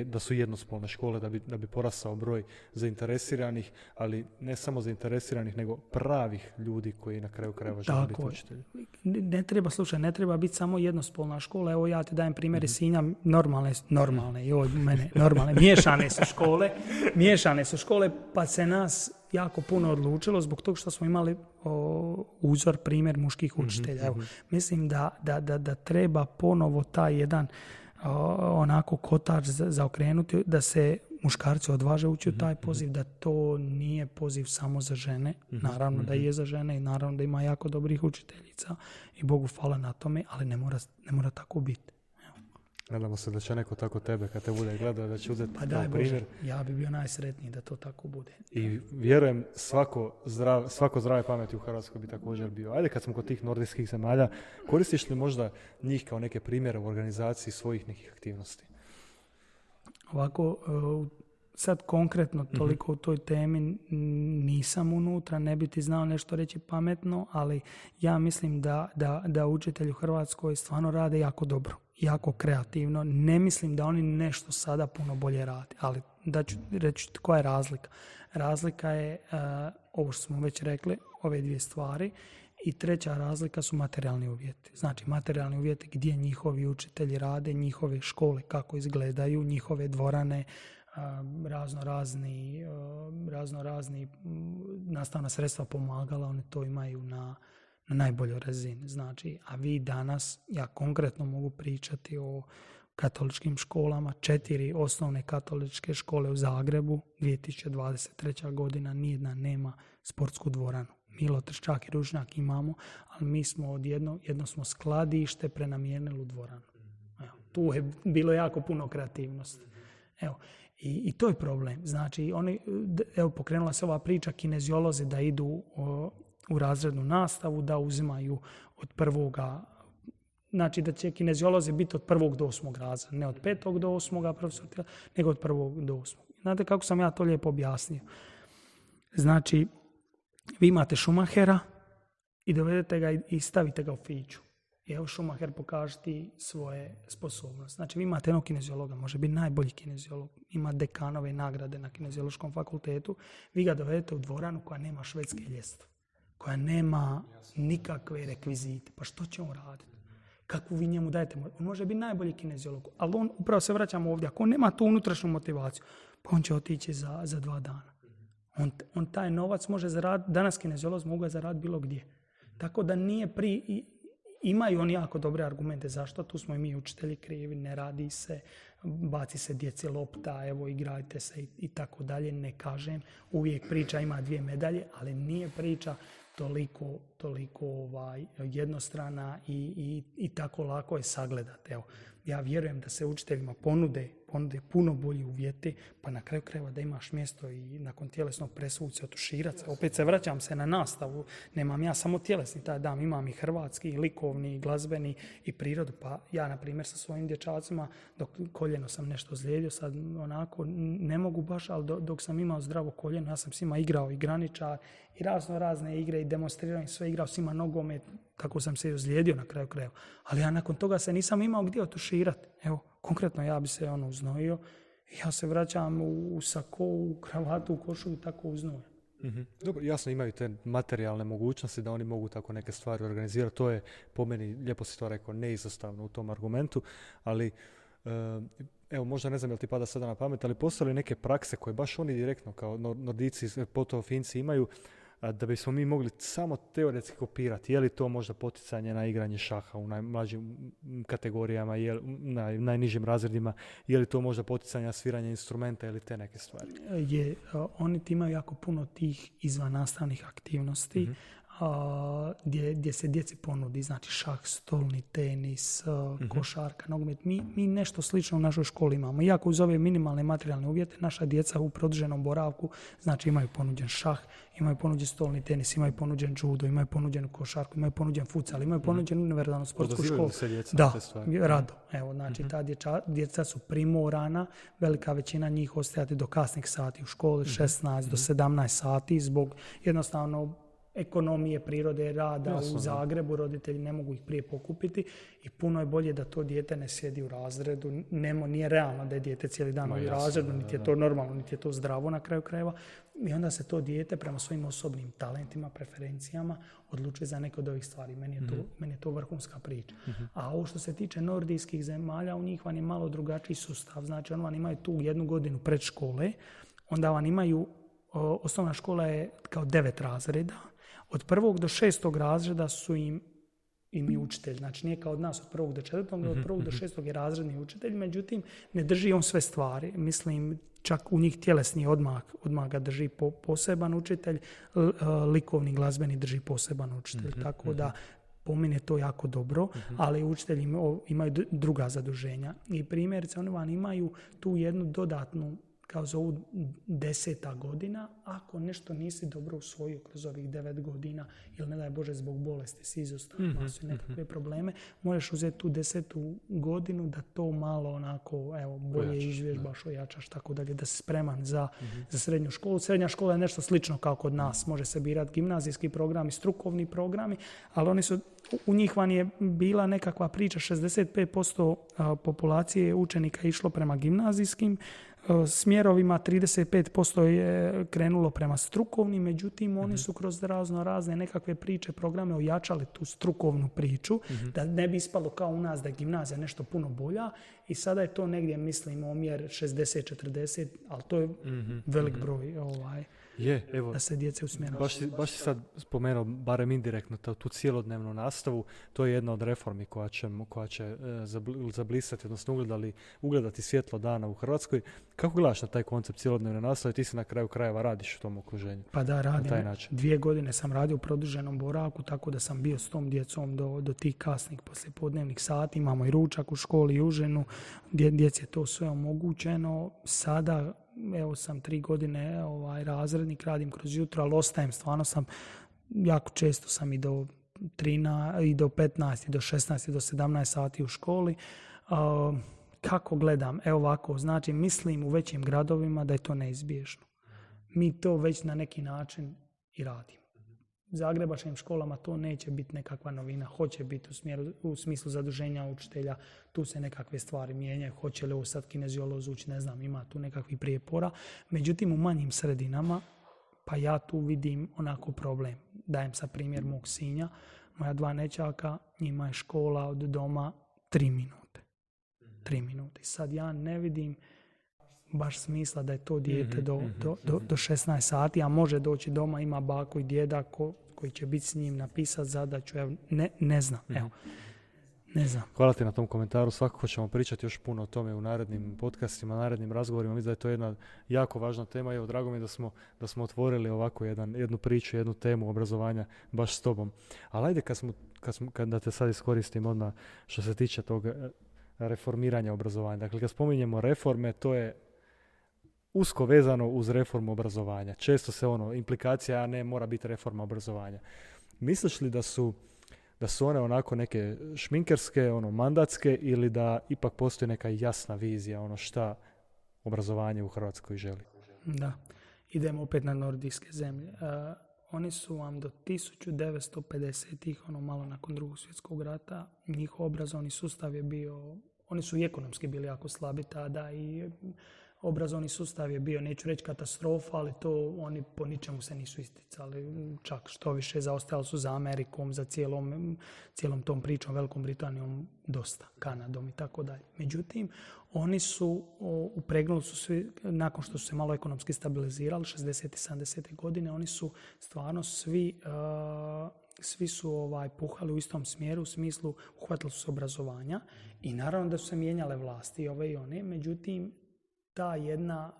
da su jednospolne škole, da bi porastao broj zainteresiranih, ali ne samo zainteresiranih, nego pravih ljudi koji na kraju krajeva žele biti učitelji? Ne treba biti samo jednospolna škola. Evo ja ti dajem primjer iz Sinja, miješane su škole, pa se nas jako puno odlučilo zbog toga što smo imali uzor, primjer muških učitelja. Evo, mislim da treba ponovo taj jedan onako kotač zaokrenuti, da se muškarci odvaže ući u taj poziv, da to nije poziv samo za žene. Naravno da je za žene i naravno da ima jako dobrih učiteljica i Bogu hvala na tome, ali ne mora tako biti. Nadamo se da će neko tako tebe, kad te bude gledao, da će uzeti kao primjer. Ja bi bio najsretniji da to tako bude. I vjerujem, svako zdrave pameti u Hrvatskoj bi također bio. Ajde, kad smo kod tih nordijskih zemalja, koristiš li možda njih kao neke primjere u organizaciji svojih nekih aktivnosti? Ovako, sad konkretno toliko u toj temi nisam unutra, ne bi ti znao nešto reći pametno, ali ja mislim da učitelji u Hrvatskoj stvarno rade jako dobro, jako kreativno. Ne mislim da oni nešto sada puno bolje rade, ali da ću reći koja je razlika. Razlika je, ovo što smo već rekli, ove dvije stvari. I treća razlika su materijalni uvjeti. Znači, materijalni uvjeti gdje njihovi učitelji rade, njihove škole kako izgledaju, njihove dvorane, razno razni nastavna sredstva, pomagala, oni to imaju na najboljoj razini. Znači, a vi danas, ja konkretno mogu pričati o katoličkim školama, 4 osnovne katoličke škole u Zagrebu, 2023. godina, nijedna nema sportsku dvoranu. Milo Trščak i Ružnjak imamo, ali mi smo jedno smo skladište prenamijenili u dvoranu. Evo, tu je bilo jako puno kreativnosti. Evo, i to je problem. Znači, pokrenula se ova priča, kineziolozi da idu u razrednu nastavu, da uzimaju od prvoga, znači da će kineziolozi biti od 1. do 8. razreda, ne od 5. do 8. profesor, nego od 1. do 8. Znate kako sam ja to lijepo objasnio? Znači, vi imate Schumachera i dovedete ga i stavite ga u fiću. I evo Schumacher pokaže ti svoje sposobnosti. Znači vi imate jednog kineziologa, može biti najbolji kineziolog, ima dekanove nagrade na kineziološkom fakultetu. Vi ga dovedete u dvoranu koja nema švedske ljestve, koja nema nikakve rekvizite. Pa što će on raditi? Kakvu vi njemu dajete? On može biti najbolji kineziolog, ali on, upravo se vraćamo ovdje, ako on nema tu unutrašnju motivaciju, pa on će otići za 2 dana. On taj novac može zaraditi, danas kineziolozi mogu ga zaraditi bilo gdje. Tako da nije imaju oni jako dobre argumente zašto, tu smo i mi učitelji krivi, ne radi se, baci se djeci lopta, evo igrajte se i tako dalje, ne kažem. Uvijek priča ima 2 medalje, ali nije priča toliko jednostrana i tako lako je sagledati. Evo, ja vjerujem da se učiteljima ponude puno bolji uvjeti, pa na kraju krajeva da imaš mjesto i nakon tjelesnog presuvu se otuširati se. Opet se vraćam se na nastavu, nemam ja samo tjelesni taj dan, imam i hrvatski, i likovni, i glazbeni, i prirodu. Pa ja, na primjer, sa svojim dječacima, dok koljeno sam nešto ozlijedio, sad onako ne mogu baš, ali dok sam imao zdravo koljeno, ja sam s njima igrao i graničar, i razne igre, i demonstrirao im sve, igrao s njima nogomet, tako sam se i ozlijedio na kraju krajeva. Ali ja nakon toga se nisam imao gdje otuširati. Evo, konkretno ja bi se uznojio i ja se vraćam u sako, u kravatu, u košulju i tako uznojem. Mm-hmm. Dobro, jasno imaju te materijalne mogućnosti da oni mogu tako neke stvari organizirati. To je po meni, lijepo si to rekao, neizostavno u tom argumentu, ali evo, možda ne znam jel ti pada sada na pamet, ali postoje neke prakse koje baš oni direktno kao Nordici, pogotovo Finci imaju, da bismo mi mogli samo teoretski kopirati. Je li to možda poticanje na igranje šaha u najmlađim kategorijama, na najnižim razredima, je li to možda poticanje na sviranje instrumenta ili te neke stvari? Oni imaju jako puno tih izvannastavnih aktivnosti, mm-hmm. Gdje se djeci ponudi, znači šah, stolni tenis, košarka, nogomet. Mi nešto slično u našoj školi imamo. Iako uz ove minimalne materijalne uvjete, naša djeca u produženom boravku, znači imaju ponuđen šah, imaju ponuđen stolni tenis, imaju ponuđen judo, imaju ponuđen košarku, imaju ponuđen futsal, imaju ponuđen univerzalnu sportsku školu. Se djeca da, rado. Evo, znači ta djeca su primorana, velika većina njih ostajati do kasnih sati u školi, 16 do 17 sati, zbog jednostavno ekonomije, prirode, rada. Jasno, u Zagrebu, roditelji ne mogu ih prije pokupiti i puno je bolje da to dijete ne sjedi u razredu. Nije realno da je dijete cijeli dan u razredu, niti je to normalno, niti je to zdravo na kraju krajeva. I onda se to dijete prema svojim osobnim talentima, preferencijama odlučuje za neke od ovih stvari. Meni je to vrhunska priča. Mm-hmm. A ovo što se tiče nordijskih zemalja, u njih vam je malo drugačiji sustav. Znači, oni vam imaju tu 1 godinu predškole, onda vam imaju, osnovna škola je kao 9 razreda. Od 1. do 6. razreda su im i učitelj. Znači nije kao od nas od 1. do 4. nego od 1. do 6. je razredni učitelj. Međutim, ne drži on sve stvari. Mislim, čak u njih tjelesni odmah ga drži poseban učitelj, likovni, glazbeni drži poseban učitelj. Tako da po meni je to jako dobro, ali učitelji imaju druga zaduženja. I primjerice, oni vam imaju tu jednu dodatnu, kao zovu 10. godina, ako nešto nisi dobro usvojio kroz ovih 9 godina, ili ne daj Bože zbog bolesti si izostao, su nekakve probleme, možeš uzeti tu 10. godinu da to malo onako, bolje izvježbaš, ojačaš, tako dalje, da si spreman za srednju školu. Srednja škola je nešto slično kao kod nas, može se birati gimnazijski programi, strukovni programi, ali u njih vam je bila nekakva priča, 65% populacije učenika išlo prema gimnazijskim smjerovima, 35% je krenulo prema strukovnim, međutim oni su kroz razne nekakve priče, programe ojačali tu strukovnu priču, da ne bi ispalo kao u nas da je gimnazija nešto puno bolja i sada je to negdje, mislim, omjer 60-40, ali to je velik broj da se djece usmjeraju. Baš si sad spomenuo, barem indirektno, tu cijelodnevnu nastavu, to je jedna od reformi koja će zablisati, odnosno ugledati svjetlo dana u Hrvatskoj. Kako gledaš na taj koncept cijelodnevne nastave? Ti se na kraju krajeva radiš u tom okruženju. Pa da, radim. 2 godine sam radio u produženom boravku, tako da sam bio s tom djecom do tih kasnih poslijepodnevnih sati. Imamo i ručak u školi i užinu, djeci je to sve omogućeno. Sada, evo sam 3 godine razrednik, radim kroz jutro, ali ostajem, stvarno sam, jako često sam i do 13, i do 15, i do 16, i do 17 sati u školi. Kako gledam? Evo ovako, znači mislim u većim gradovima da je to neizbježno. Mi to već na neki način i radimo. U zagrebačkim školama to neće biti nekakva novina, hoće biti u smislu zaduženja učitelja, tu se nekakve stvari mijenjaju, hoće li ovo sad kineziolog ući, ne znam, ima tu nekakvih prijepora. Međutim, u manjim sredinama, pa ja tu vidim onako problem. Dajem sa primjer mog sinja, moja 2 nećaka, njima je škola od doma 3 minute. 3 minute. Sad ja ne vidim baš smisla da je to dijete do 16 sati, a može doći doma, ima baku i djeda koji će biti s njim, napisati zadaću, ne znam. Evo. Ne znam. Hvala ti na tom komentaru, svakako ćemo pričati još puno o tome u narednim podcastima, narednim razgovorima. Mislim da je to jedna jako važna tema i evo, drago mi je da smo otvorili ovako jednu priču, jednu temu obrazovanja baš s tobom. Ali ajde da te sad iskoristim odmah što se tiče tog reformiranja obrazovanja. Dakle, kad spominjemo reforme, to je usko vezano uz reformu obrazovanja. Često se implikacija, a ne mora biti reforma obrazovanja. Misliš li da su one onako neke šminkerske, mandatske ili da ipak postoji neka jasna vizija, šta obrazovanje u Hrvatskoj želi? Da, idemo opet na nordijske zemlje. Oni su vam do 1950-ih, malo nakon Drugog svjetskog rata, njihov obrazovni sustav je bio, oni su i ekonomski bili jako slabi tada i obrazovni sustav je bio, neću reći katastrofa, ali to oni po ničemu se nisu isticali. Čak što više zaostajali su za Amerikom, za cijelom tom pričom, Velikom Britanijom, dosta, Kanadom i tako dalje. Međutim, oni su upregnuli su svi, nakon što su se malo ekonomski stabilizirali, 60. i 70. godine, oni su stvarno svi su puhali u istom smjeru, u smislu uhvatili su se obrazovanja i naravno da su se mijenjale vlasti ove i one, međutim, ta jedna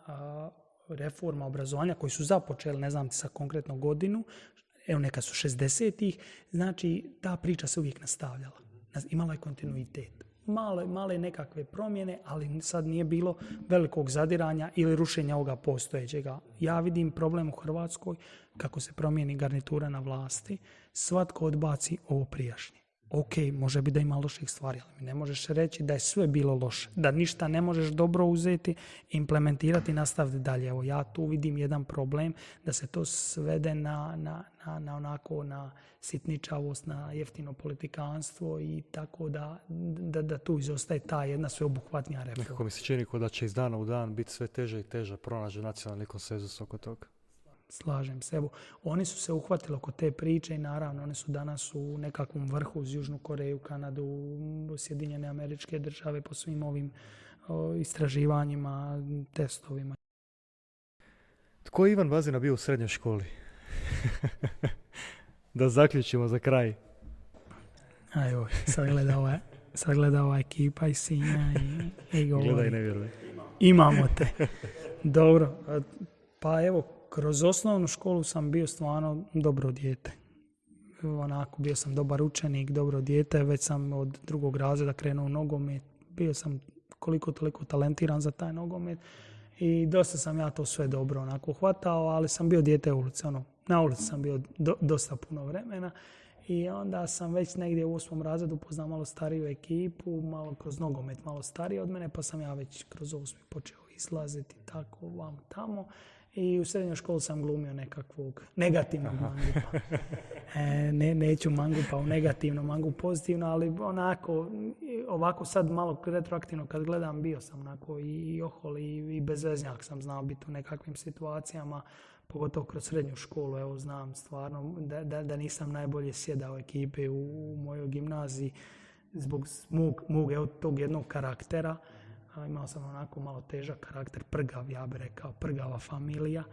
reforma obrazovanja koju su započeli, ne znam sa konkretno godinu, evo neka su 60-ih, znači ta priča se uvijek nastavljala. Imala je kontinuitet. Male nekakve promjene, ali sad nije bilo velikog zadiranja ili rušenja ovoga postojećega. Ja vidim problem u Hrvatskoj, kako se promijeni garnitura na vlasti, svatko odbaci ovo prijašnje. Ok, može biti da ima loših stvari, ali ne možeš reći da je sve bilo loše, da ništa ne možeš dobro uzeti, implementirati i nastaviti dalje. Evo, ja tu vidim jedan problem da se to svede na sitničavost, na jeftino politikanstvo i tako da tu izostaje ta jedna sveobuhvatnija reforma. Nekako mi se čini da će iz dana u dan biti sve teže i teže pronaći nacionalni konsenzus oko toga. Slažem se. Evo, oni su se uhvatili oko te priče i naravno oni su danas u nekakvom vrhu uz Južnu Koreju, Kanadu, Sjedinjene Američke Države po svim ovim istraživanjima, testovima. Tko je Ivan Vazina bio u srednjoj školi? Da zaključimo za kraj. Ajoj, sad gleda ova ekipa iz Sinja i govori. Gledaj, ne vjeruj. Imamo te. Dobro, pa evo, kroz osnovnu školu sam bio stvarno dobro dijete. Onako, bio sam dobar učenik, dobro dijete. Već sam od drugog razreda krenuo u nogomet. Bio sam koliko toliko talentiran za taj nogomet. I dosta sam ja to sve dobro onako hvatao, ali sam bio dijete ulice. Na ulici sam bio dosta puno vremena. I onda sam već negdje u 8. razredu poznao malo stariju ekipu, malo kroz nogomet, malo stariji od mene, pa sam ja već kroz 8. počeo izlaziti tako vam tamo. I u srednjoj školi sam glumio nekakvog negativnog mangupa. Neću mangupa u negativno, mangup pozitivno, ali ovako sad malo retroaktivno kad gledam, bio sam onako i ohol i bezveznjak sam znao biti u nekakvim situacijama, pogotovo kroz srednju školu. Evo, znam stvarno da nisam najbolje sjedao ekipe u mojoj gimnaziji zbog mog tog jednog karaktera. Imao sam onako malo težak karakter, prgav, ja bih rekao, prgava familija.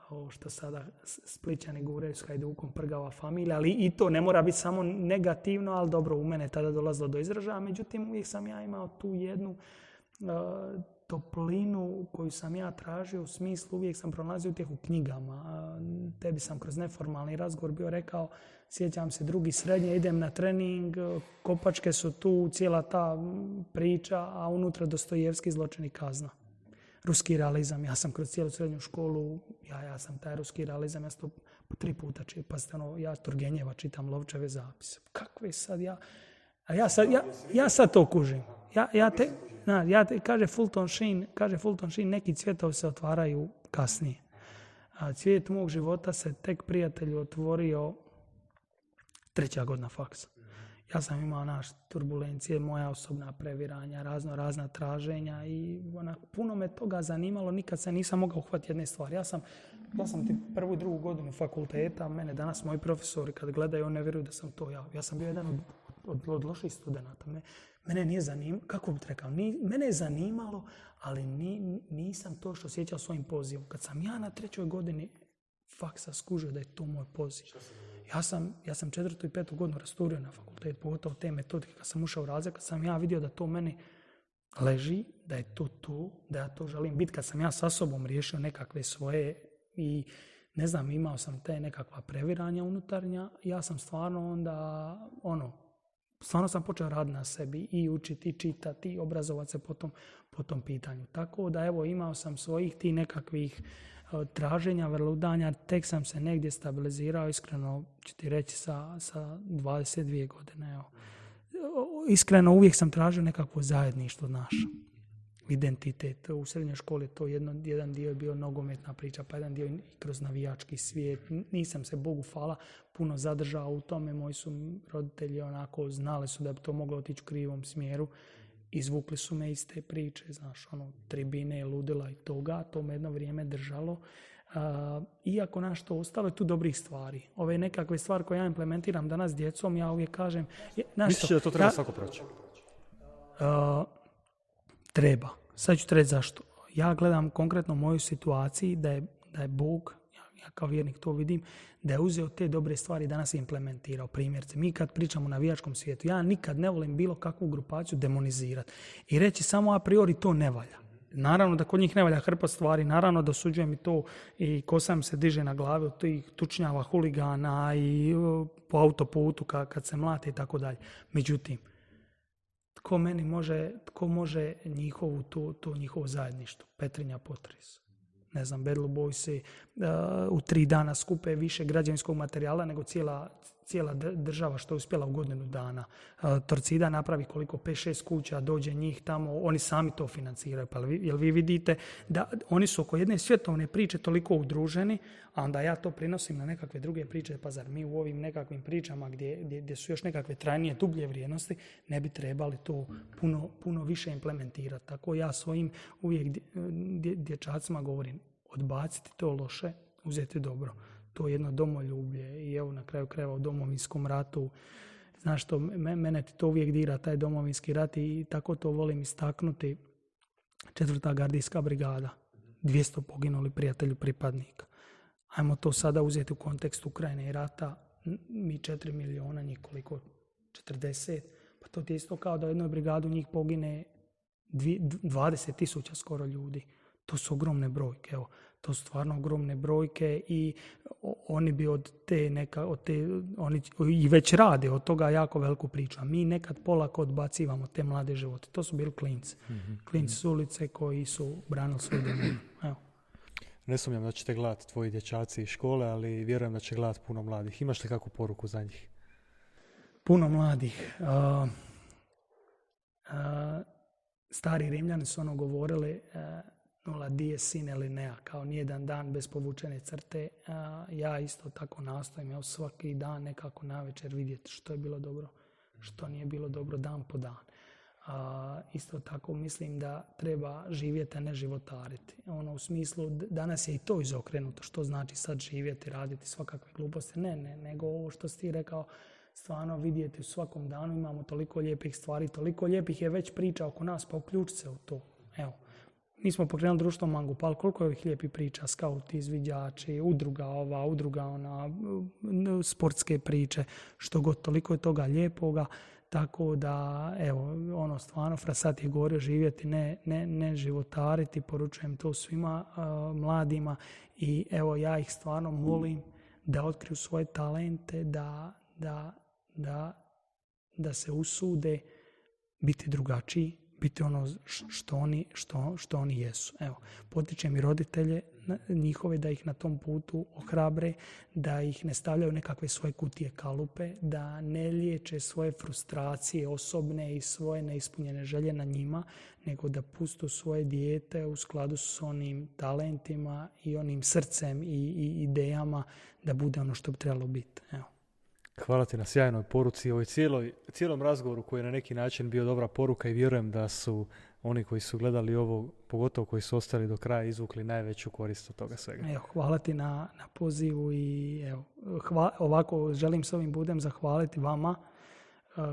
Ovo što sada Splićani guraju s Hajdukom, prgava familija, ali i to ne mora biti samo negativno, ali dobro, u mene tada dolazilo do izražaja. Međutim, uvijek sam ja imao tu jednu toplinu koju sam ja tražio, u smislu uvijek sam pronalazio utjehu u knjigama. Tebi sam kroz neformalni razgovor bio rekao, sjećam se 2. srednje, idem na trening, kopačke su tu, cijela ta priča, a unutra Dostojevski, Zločin i kazna. Ruski realizam, ja sam kroz cijelu srednju školu, ja sam taj ruski realizam, ja sam to 3 puta čitam, pazite, ja Turgenjeva čitam, Lovčeve zapise. Kakve sad ja sad to kužim. Kaže Fulton Sheen, neki cvjetovi se otvaraju kasnije. A cvijet mog života se tek, prijatelju, otvorio 3. godina faksa. Ja sam imao turbulencije, moja osobna previranja, razna traženja i puno me toga zanimalo, nikad se nisam mogao uhvatiti jedne stvari. Ja sam 1. i 2. godinu fakulteta, mene danas moji profesori kad gledaju, oni ne vjeruju da sam to ja. Ja sam bio jedan od loših studenata. Mene nije zanimalo, kako bih rekao, mene je zanimalo, ali nisam to što osjećao svojim pozivom. Kad sam ja na 3. godini faksa skužio da je to moj poziv. Ja sam 4. i 5. godinu rasturio na fakultet, pogotovo te metodike. Kad sam ušao u razred, kad sam ja vidio da to meni leži, da je to, da ja to želim biti, kad sam ja sa sobom riješio nekakve svoje i ne znam, imao sam te nekakva previranja unutarnja, ja sam stvarno onda, stvarno sam počeo raditi na sebi i učiti, i čitati, i obrazovati se po tom pitanju. Tako da evo, imao sam svojih ti nekakvih traženja, vrludanja, tek sam se negdje stabilizirao, iskreno ću ti reći sa 22 godine. Evo. Iskreno uvijek sam tražio nekakvo zajedništvo naše. Identitet. U srednjoj školi to jedan dio je bio nogometna priča, pa jedan dio i kroz navijački svijet. Nisam se, Bogu hvala, puno zadržao u tome. Moji su roditelji onako znali su da bi to moglo otići u krivom smjeru. Izvukli su me iz te priče, znaš, tribine, ludila i toga. To me jedno vrijeme držalo. Iako to ostalo je tu dobrih stvari. Ove nekakve stvari koje ja implementiram danas s djecom, ja uvijek kažem... Misliš da to treba svako proći? Treba. Sad ću reći zašto. Ja gledam konkretno moju situaciji da je Bog, ja kao vjernik to vidim, da je uzeo te dobre stvari i danas implementirao. Primjerce, mi kad pričamo o navijačkom svijetu, ja nikad ne volim bilo kakvu grupaciju demonizirati i reći samo a priori to ne valja. Naravno da kod njih ne valja hrpa stvari, naravno da osuđujem i to i kosa mi se diže na glavi od tih tučnjava, huligana i po autoputu kad se mlate i tako dalje. Međutim, tko može njihovo zajedništvo? Petrinja potres. Ne znam, Bad Blue Boysi u 3 dana skupe više građevinskog materijala nego cijela država što je uspjela u godinu dana. Torcida napravi koliko 5-6 kuća, dođe njih tamo, oni sami to financiraju. Pa jel vi vidite da oni su oko jedne svjetovne priče toliko udruženi, a onda ja to prinosim na nekakve druge priče. Pa zar mi u ovim nekakvim pričama gdje su još nekakve trajnije, dublje vrijednosti, ne bi trebali to puno više implementirati. Tako ja svojim uvijek dječacima govorim, odbaciti to loše, uzeti dobro. To je jedno domoljublje i evo na kraju krajeva u Domovinskom ratu. Znaš što, mene ti to uvijek dira, taj Domovinski rat i tako to volim istaknuti. 4. gardijska brigada, 200 poginuli prijatelju pripadnika. Ajmo to sada uzeti u kontekst Ukrajine i rata. Mi 4 miliona, njih koliko? 40. Pa to ti je isto kao da u jednoj brigadu njih pogine 20,000 skoro ljudi. To su ogromne brojke, evo. To su stvarno ogromne brojke i oni bi oni i već rade od toga jako veliku priču. A mi nekad polako odbacivamo te mlade živote. To su bili klinci. Klinci s ulice koji su branili svoj domovinu. Evo. Ne sumnjam da ćete gledati tvoji dječaci iz škole, ali vjerujem da će gledati puno mladih. Imaš li kakvu poruku za njih? Puno mladih. Stari Rimljani su govorili nulla dies sine linea, kao nijedan dan bez povučene crte. Ja isto tako nastojim, svaki dan nekako navečer vidjeti što je bilo dobro, što nije bilo dobro dan po dan. Isto tako mislim da treba živjeti, a ne životariti. U smislu, danas je i to izokrenuto, što znači sad živjeti, raditi svakakve gluposti. Ne, nego ovo što si ti rekao, stvarno vidjeti u svakom danu imamo toliko lijepih stvari, toliko lijepih je već priča oko nas, pa uključi se u to. Evo. Mi smo pokrenuli društvo Mangupal, koliko je ovih lijepih priča, skauti, izviđači, udruga ona, sportske priče, što god, toliko je toga lijepoga, tako da, evo, stvarno, Frasat je govorio živjeti, ne životariti, poručujem to svima mladima i evo, ja ih stvarno molim da otkriju svoje talente, da se usude biti drugačiji, biti ono što oni jesu. Evo, potičem i roditelje njihove da ih na tom putu ohrabre, da ih ne stavljaju nekakve svoje kutije kalupe, da ne liječe svoje frustracije osobne i svoje neispunjene želje na njima, nego da pustu svoje dijete u skladu s onim talentima i onim srcem i idejama da bude ono što bi trebalo biti. Evo. Hvala ti na sjajnoj poruci i ovoj cijelom razgovoru koji je na neki način bio dobra poruka i vjerujem da su oni koji su gledali ovo, pogotovo koji su ostali do kraja, izvukli najveću korist od toga svega. Evo, hvala ti na pozivu i evo, ovako želim s ovim budem zahvaliti vama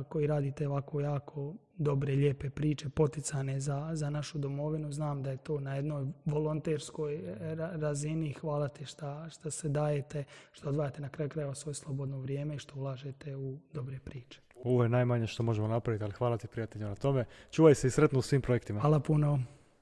koji radite ovako jako dobre, lijepe priče, poticane za našu domovinu. Znam da je to na jednoj volonterskoj razini. Hvala ti što se dajete, što odvajate na kraju krajeva svoje slobodno vrijeme i što ulažete u dobre priče. Ovo je najmanje što možemo napraviti, ali hvala ti prijatelju na tome. Čuvaj se i sretno u svim projektima. Hvala puno.